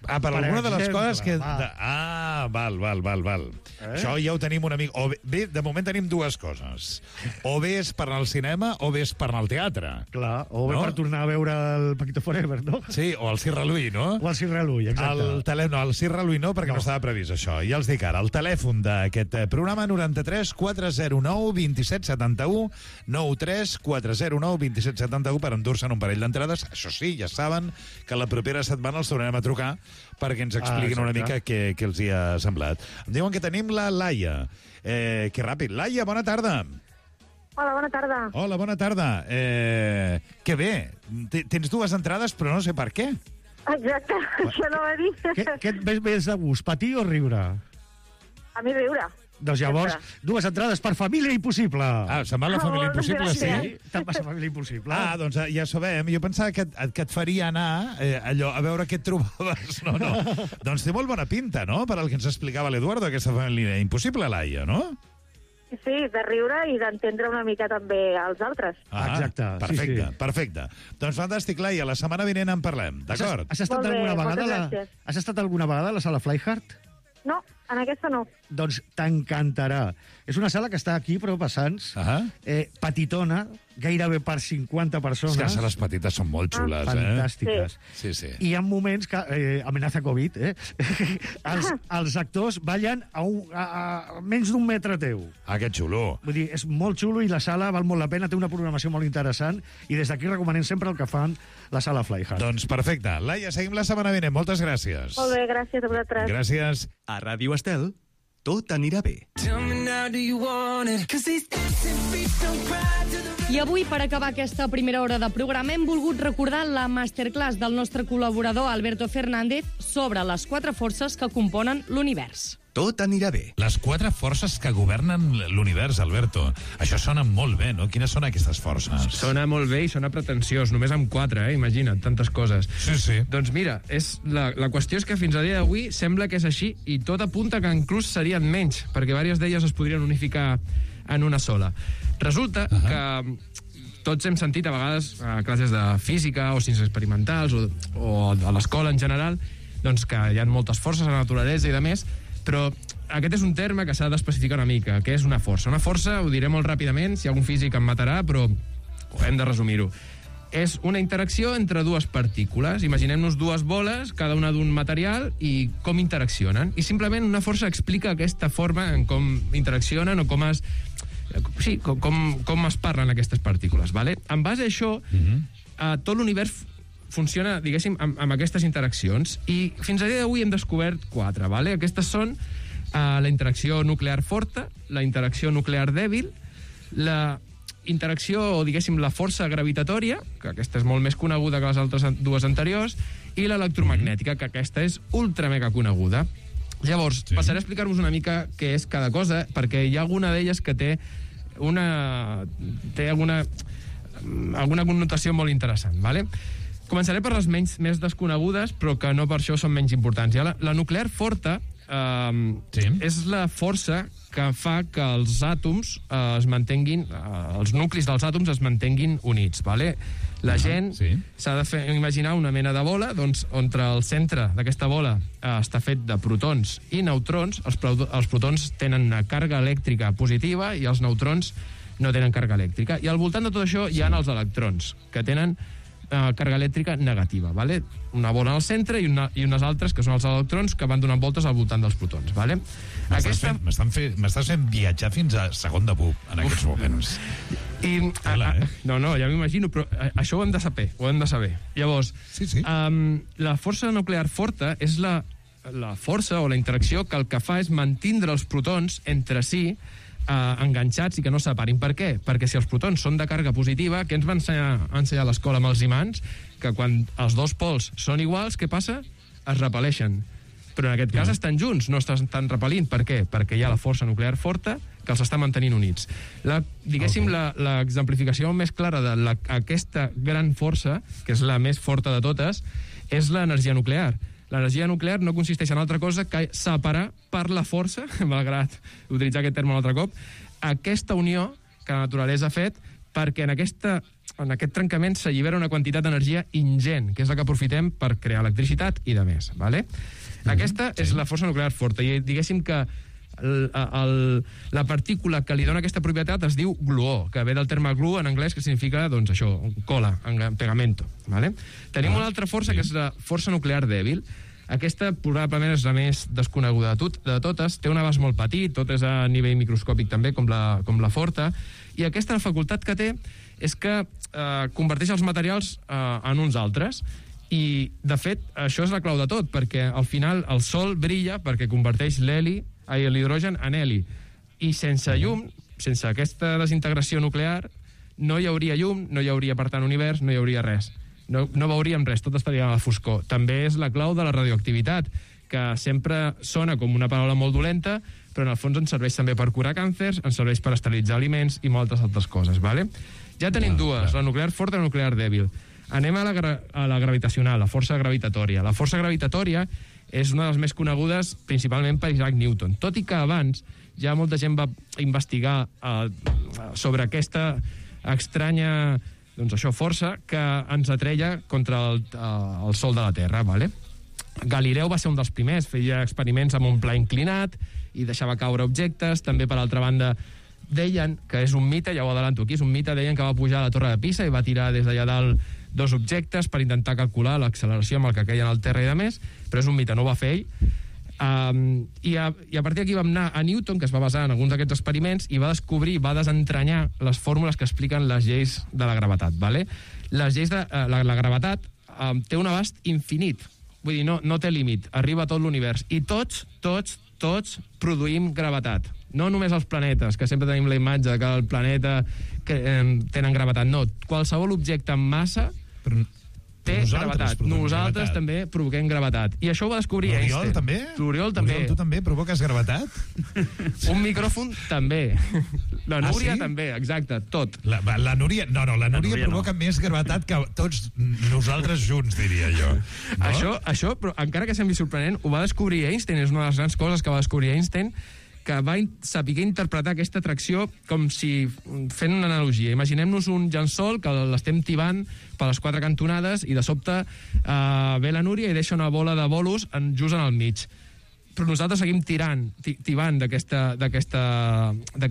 Ah, per, per alguna de les exemple, coses que... va. De... Ah, val, val, val, val. Eh? Això ja ho tenim una mica... O bé, bé, de moment tenim dues coses. O bé és per anar al cinema o bé és per anar al teatre. Clar, o bé No? per tornar a veure el Paquito Forever, no? Sí, o el Cirra Lui, no? O el Cirra Lui, exacte. El tele... No, el Cirra Lui no, perquè no. no estava previst això. Ja els dic ara, el telèfon d'aquest eh, programa noranta-tres quatre zero nou vint set setanta u, noranta-tres quatre zero nou vint set setanta u per endur-se'n un parell d'entrades. Això sí, ja saben que la propera setmana els tornarem a trucar perquè ens expliquin ah, una mica què, què els hi ha semblat. Em diuen que tenim la Laia. Eh, que ràpid. Laia, bona tarda. Hola, bona tarda. Hola, bona tarda. Eh, que bé. T Tens dues entrades, però no sé per què. Exacte, això no va dir. Què, què et ves més de gust, patir o riure? A mi riure. Doncs llavors, dues entrades per Família Impossible. Ah, se'n va la Família Impossible, sí? Sí, te'n vas a Família Impossible. Ah, doncs eh, ja sabem. Jo pensava que, et- que et faria anar eh, allò, a veure què et trobaves. No, no. Doncs té molt bona pinta, no?, per al que ens explicava l'Eduardo, aquesta Família Impossible, Laia, no? Sí, de riure i d'entendre una mica també els altres. Ah, Exacte, sí, perfecte, sí. perfecte. Doncs fantàstic, Laia, la setmana vinent en parlem, d'acord? Has, has estat Molt bé, alguna vegada moltes a la, gràcies. has estat alguna vegada a la sala Flyhard? No, En aquesta no. Doncs t'encantarà. És una sala que està aquí, però a Sants, Ah. eh, petitona, gairebé per cinquanta persones. És que les sales petites són molt xules, eh? Fantàstiques. Sí, sí. I hi ha moments que, eh, amenaça Covid, eh? els, els actors ballen a, un, a, a menys d'un metre teu. Ah, que xulo. Vull dir, és molt xulo i la sala val molt la pena, té una programació molt interessant i des d'aquí recomanem sempre el que fan la sala Flyhard. Doncs perfecte. Laia, seguim la setmana vinent. Moltes gràcies. Molt bé, gràcies a vosaltres. Gràcies. A Ràdio Estel, tot anirà bé. I avui, per acabar aquesta primera hora de programa, hem volgut recordar la masterclass del nostre col·laborador Alberto Fernández sobre les quatre forces que componen l'univers. Tot anirà bé. Les quatre forces que governen l'univers, Alberto. Això sona molt bé, no? Quines són aquestes forces? Sona molt bé i sona pretensiós, només amb quatre, eh? Imagina't, tantes coses. Sí, sí. Doncs mira, és la, la qüestió és que fins a dia d'avui sembla que és així i tot apunta que inclús serien menys, perquè diverses d'elles es podrien unificar en una sola. Resulta uh-huh. que tots hem sentit a vegades a classes de física o ciències experimentals o, o a l'escola en general doncs que hi ha moltes forces a la naturalesa i de més, però aquest és un terme que s'ha d'especificar una mica, que és una força. Una força, ho diré molt ràpidament, si algun físic em matarà, però hem de resumir-ho. És una interacció entre dues partícules. Imaginem-nos dues boles, cada una d'un material, i com interaccionen. I simplement una força explica aquesta forma en com interaccionen o com es... Sí, com, com, com es parlen aquestes partícules, vale? En base a això, uh-huh. eh, tot l'univers funciona, diguéssim, amb, amb aquestes interaccions, i fins a dia d'avui hem descobert quatre, vale? Aquestes són eh, la interacció nuclear forta, la interacció nuclear dèbil, la interacció, o diguéssim, la força gravitatòria, que aquesta és molt més coneguda que les altres dues anteriors, i l'electromagnètica, que aquesta és ultra mega coneguda. Llavors, sí. passaré a explicar-vos una mica què és cada cosa, perquè hi ha alguna d'elles que té una... té alguna, alguna connotació molt interessant, vale? Començaré per les menys, més desconegudes, però que no per això són menys importants. Ja la, la nuclear forta eh, sí. és la força que fa que els àtoms eh, es mantenguin, eh, els nuclis dels àtoms es mantenguin units, vale? La uh-huh, gent s'ha sí. de fer, imaginar una mena de bola, doncs, on el centre d'aquesta bola eh, està fet de protons i neutrons. Els, pro, els protons tenen una càrrega elèctrica positiva i els neutrons no tenen càrrega elèctrica. I al voltant de tot això hi ha els electrons, que tenen eh, càrrega elèctrica negativa, vale? Una bola al centre i, una, i unes altres, que són els electrons, que van donant voltes al voltant dels protons, vale? M'estàs Aquesta... fent, fent, m'estàs fent viatjar fins a segon de pub en aquests Uf. moments. I, Hola, a, a, eh? No, no, ja m'imagino, però a, això ho hem de saber, ho hem de saber. Llavors, sí, sí. Um, la força nuclear forta és la, la força o la interacció que el que fa és mantindre els protons entre si uh, enganxats i que no separin. Per què? Perquè si els protons són de càrrega positiva, què ens va ensenyar, ensenyar a l'escola amb els imants? Que quan els dos pols són iguals, què passa? Es repel·leixen. Però en aquest cas estan junts, no estan repel·lint. Per què? Perquè hi ha la força nuclear forta que els està mantenint units. La, diguéssim, okay. l'exemplificació més clara d'aquesta gran força, que és la més forta de totes, és l'energia nuclear. L'energia nuclear no consisteix en altra cosa que separar per la força, malgrat utilitzar aquest terme un altre cop, aquesta unió que la naturalesa ha fet perquè en, aquesta, en aquest trencament s'allibera una quantitat d'energia ingent, que és la que aprofitem per crear electricitat i de més. Vale? Mm-hmm. Aquesta sí. és la força nuclear forta, i diguéssim que el, el, la partícula que li dona aquesta propietat es diu gluó, que ve del terme glue en anglès, que significa, doncs, això, cola, pegamento. Vale? Tenim ah, una altra força, sí. que és la força nuclear dèbil. Aquesta probablement és la més desconeguda de, tot, de totes, té un abast molt petit, tot és a nivell microscòpic també, com la, com la forta, i aquesta la facultat que té és que eh, converteix els materials eh, en uns altres, i de fet això és la clau de tot, perquè al final el sol brilla perquè converteix l'heli, ai, l'hidrogen en heli, i sense llum, sense aquesta desintegració nuclear, no hi hauria llum, no hi hauria per tant univers, no hi hauria res. No, no veuríem res, tot estaria a la foscor. També és la clau de la radioactivitat, que sempre sona com una paraula molt dolenta, però en el fons ens serveix també per curar càncers, ens serveix per esterilitzar aliments i moltes altres coses, vale? Ja tenim dues, la nuclear forta i la nuclear dèbil. Anem a la, a la gravitacional, la força gravitatòria. La força gravitatòria és una de les més conegudes principalment per Isaac Newton, tot i que abans ja molta gent va investigar eh, sobre aquesta estranya, doncs això, força que ens atreia contra el, el Sol de la Terra, vale? Galileu va ser un dels primers, feia experiments amb un pla inclinat i deixava caure objectes. També, per altra banda, deien que és un mite, ja ho adelanto aquí, és un mite, deien que va pujar a la Torre de Pisa i va tirar des d'allà dalt dos objectes per intentar calcular l'acceleració amb el que queien al terra i de més, però és un mite, no ho va fer ell. Um, i, a, I a partir d'aquí vam anar a Newton, que es va basar en alguns d'aquests experiments, i va descobrir, va desentranyar les fórmules que expliquen les lleis de la gravetat, vale? Les lleis de uh, la, la gravetat um, té un abast infinit, vull dir, no, no té límit, arriba a tot l'univers, i tots, tots, tots produïm gravetat. No només els planetes, que sempre tenim la imatge que el planeta que, eh, tenen gravetat, no, qualsevol objecte amb massa però té gravetat. Nosaltres gravetat. també provoquem gravetat. I això ho va descobrir Einstein. L'Oriol també? L'Oriol també. Oriol, tu també provoques gravetat? Un micròfon també. La Núria ah, sí? també, exacte, tot. La, la Núria, no, no, la Núria, la Núria provoca no. més gravetat que tots nosaltres junts, diria jo. No? Això, això, però encara que sembli sorprenent, ho va descobrir Einstein, és una de les grans coses que va descobrir Einstein, que va saber interpretar aquesta atracció com si, fent una analogia, imaginem-nos un llençol que l'estem tibant per les quatre cantonades i de sobte eh, ve la Núria i deixa una bola de bolos en, just en el mig. Però nosaltres seguim tirant, tibant d'aquest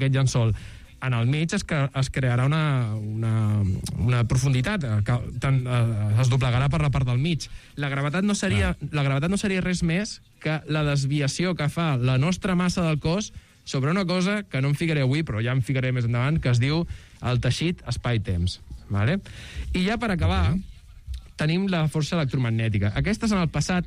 llençol. En el mig es, que, es crearà una, una, una profunditat, que tant, eh, es doblegarà per la part del mig. La gravetat no seria, ah. la gravetat no seria res més que la desviació que fa la nostra massa del cos sobre una cosa que no em ficaré avui, però ja em ficaré més endavant, que es diu el teixit espai-temps. Vale? I ja per acabar, okay. tenim la força electromagnètica. Aquestes en el passat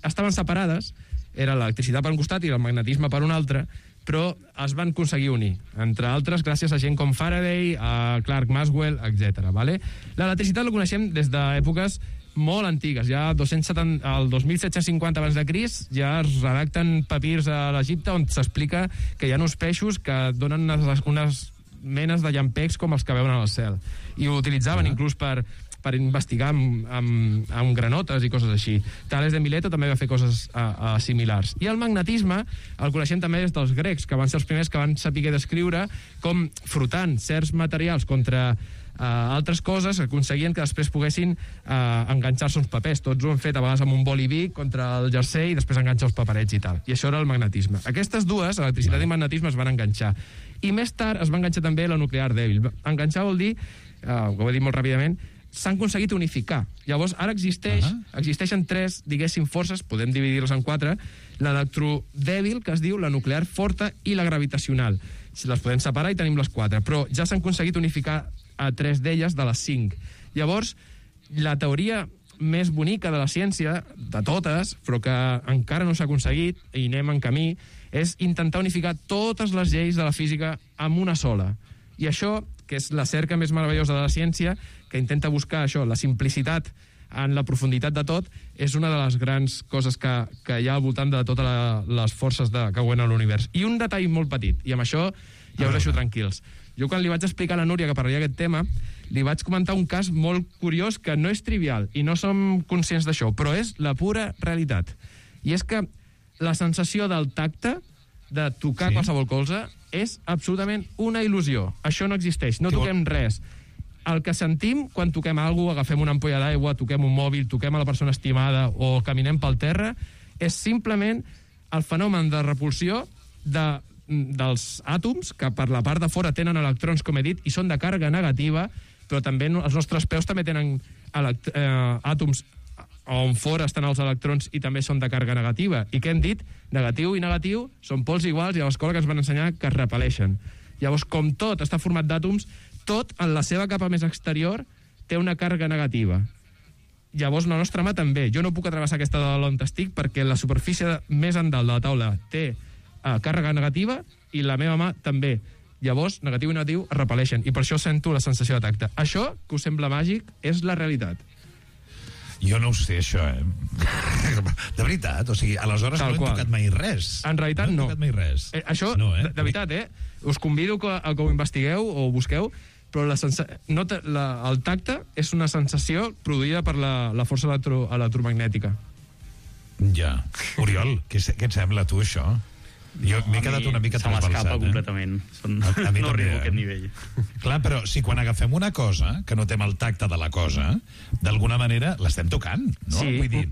estaven separades, era l'electricitat per un costat i el magnetisme per un altre, però es van aconseguir unir, entre altres gràcies a gent com Faraday, a Clerk Maxwell, etcètera. Vale? L'electricitat la coneixem des d'èpoques molt antigues, ja dos-cents setanta, el dos mil set-cents cinquanta abans de Crist ja es redacten papirs a l'Egipte on s'explica que hi ha uns peixos que donen unes, unes menes de llampecs com els que veuen al cel, i ho utilitzaven uh-huh. inclús per per investigar amb, amb, amb granotes i coses així. Tales de Mileto també va fer coses a, a similars. I el magnetisme el coneixem també des dels grecs, que van ser els primers que van saber descriure com frotant certs materials contra uh, altres coses aconseguien que després poguessin uh, enganxar-se uns papers. Tots ho han fet a vegades amb un boli Bic contra el jersei i després enganxar els paperets i tal. I això era el magnetisme. Aquestes dues, electricitat i magnetisme, es van enganxar. I més tard es va enganxar també la nuclear dèbil. Enganxar vol dir, uh, ho he dit molt ràpidament, s'han aconseguit unificar. Llavors, ara existeix, uh-huh. existeixen tres, diguéssim, forces, podem dividir-les en quatre, l'electrodèbil, que es diu, la nuclear forta i la gravitacional. Si les podem separar i tenim les quatre, però ja s'han aconseguit unificar a tres d'elles de les cinc. Llavors, la teoria més bonica de la ciència, de totes, però que encara no s'ha aconseguit, i anem en camí, és intentar unificar totes les lleis de la física amb una sola. I això, que és la cerca més meravellosa de la ciència, que intenta buscar això, la simplicitat en la profunditat de tot, és una de les grans coses que, que hi ha al voltant de totes la, les forces de, que guanyen l'univers. I un detall molt petit, i amb això ja us deixo tranquils. Jo quan li vaig explicar a la Núria que parlaria aquest tema, li vaig comentar un cas molt curiós que no és trivial, i no som conscients d'això, però és la pura realitat. I és que la sensació del tacte, de tocar sí. qualsevol cosa, és absolutament una il·lusió. Això no existeix, no toquem res. El que sentim quan toquem alguna cosa, agafem una ampolla d'aigua, toquem un mòbil, toquem a la persona estimada o caminem pel terra, és simplement el fenomen de repulsió de, dels àtoms, que per la part de fora tenen electrons, com he dit, i són de càrrega negativa, però també els nostres peus també tenen elect eh, àtoms on fora estan els electrons i també són de càrrega negativa. I què hem dit? Negatiu i negatiu són pols iguals i a l'escola que ens van ensenyar que es repel·leixen. Llavors, com tot està format d'àtoms, tot en la seva capa més exterior té una càrrega negativa. Llavors, la nostra mà també. Jo no puc atravessar aquesta de l'on estic perquè la superfície més endalt de la taula té eh, càrrega negativa i la meva mà també. Llavors, negatiu i negatiu es repel·leixen i per això sento la sensació de tacte. Això, que us sembla màgic, és la realitat. Jo no ho sé, això, eh? De veritat, o sigui, aleshores Tal no hem qual. tocat mai res. En realitat, no. No hem tocat mai res. Eh, això, no, eh? de, de veritat, eh? Us convido que, a que ho investigueu o ho busqueu, però la sensa... no te... la... el tacte és una sensació produïda per la, la força electro... electromagnètica. Ja. Oriol, què, què et sembla, tu, això? Jo m'he quedat una mica trasbalsat. Se m'escapa eh? completament. Són... A, a mi no també, arribo a eh? aquest nivell. Clar, però si quan agafem una cosa, que notem el tacte de la cosa, d'alguna manera l'estem tocant, no? Sí. Vull dir,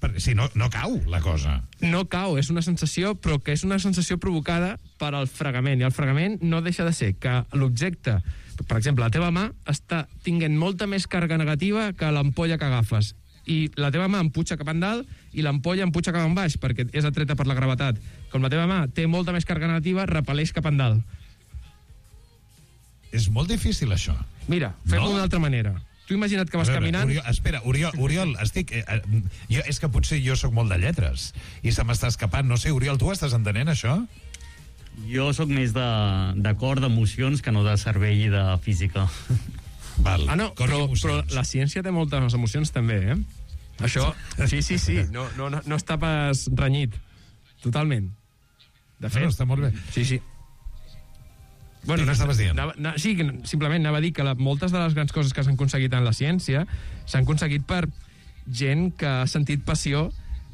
perquè si no, no cau la cosa. No cau, és una sensació, però que és una sensació provocada per al fregament, i el fregament no deixa de ser que l'objecte, per exemple, la teva mà està tinguent molta més càrrega negativa que l'ampolla que agafes, i la teva mà empuja cap endalt i l'ampolla empuja cap en baix, perquè és atreta per la gravetat. Com la teva mà té molta més càrrega negativa, repel·leix cap endalt. És molt difícil, això. Mira, fem-ho d'una altra manera. Tu imagina't que vas veure, caminant... Oriol, espera, Oriol, Oriol estic... Eh, eh, jo, és que potser jo sóc molt de lletres i se m'està escapant. No sé, Oriol, tu estàs entenent això? Jo sóc més de, de cor, d'emocions, que no de cervell i de física. Val. Ah, no, però, però la ciència té moltes emocions també, eh? Això, sí, sí, sí, no, no, no, no està pas renyit. Totalment. De fet... No, no, està molt bé. Sí, sí. Bueno, què estaves dient? Anava, anava, sí, simplement anava a dir que la, moltes de les grans coses que s'han aconseguit en la ciència s'han aconseguit per gent que ha sentit passió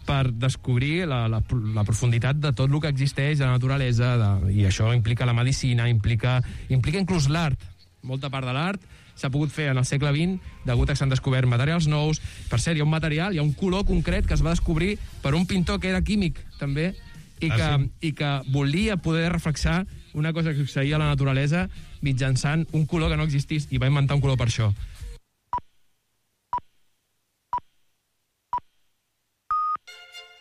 per descobrir la, la, la profunditat de tot el que existeix de la naturalesa, de, i això implica la medicina, implica, implica inclús l'art. Molta part de l'art s'ha pogut fer en el segle vint degut a que s'han descobert materials nous. Per cert, hi ha un material, hi ha un color concret que es va descobrir per un pintor que era químic, també, i que, ah, sí? i que volia poder reflexar una cosa que succeïa a la naturalesa mitjançant un color que no existís, i va inventar un color per això.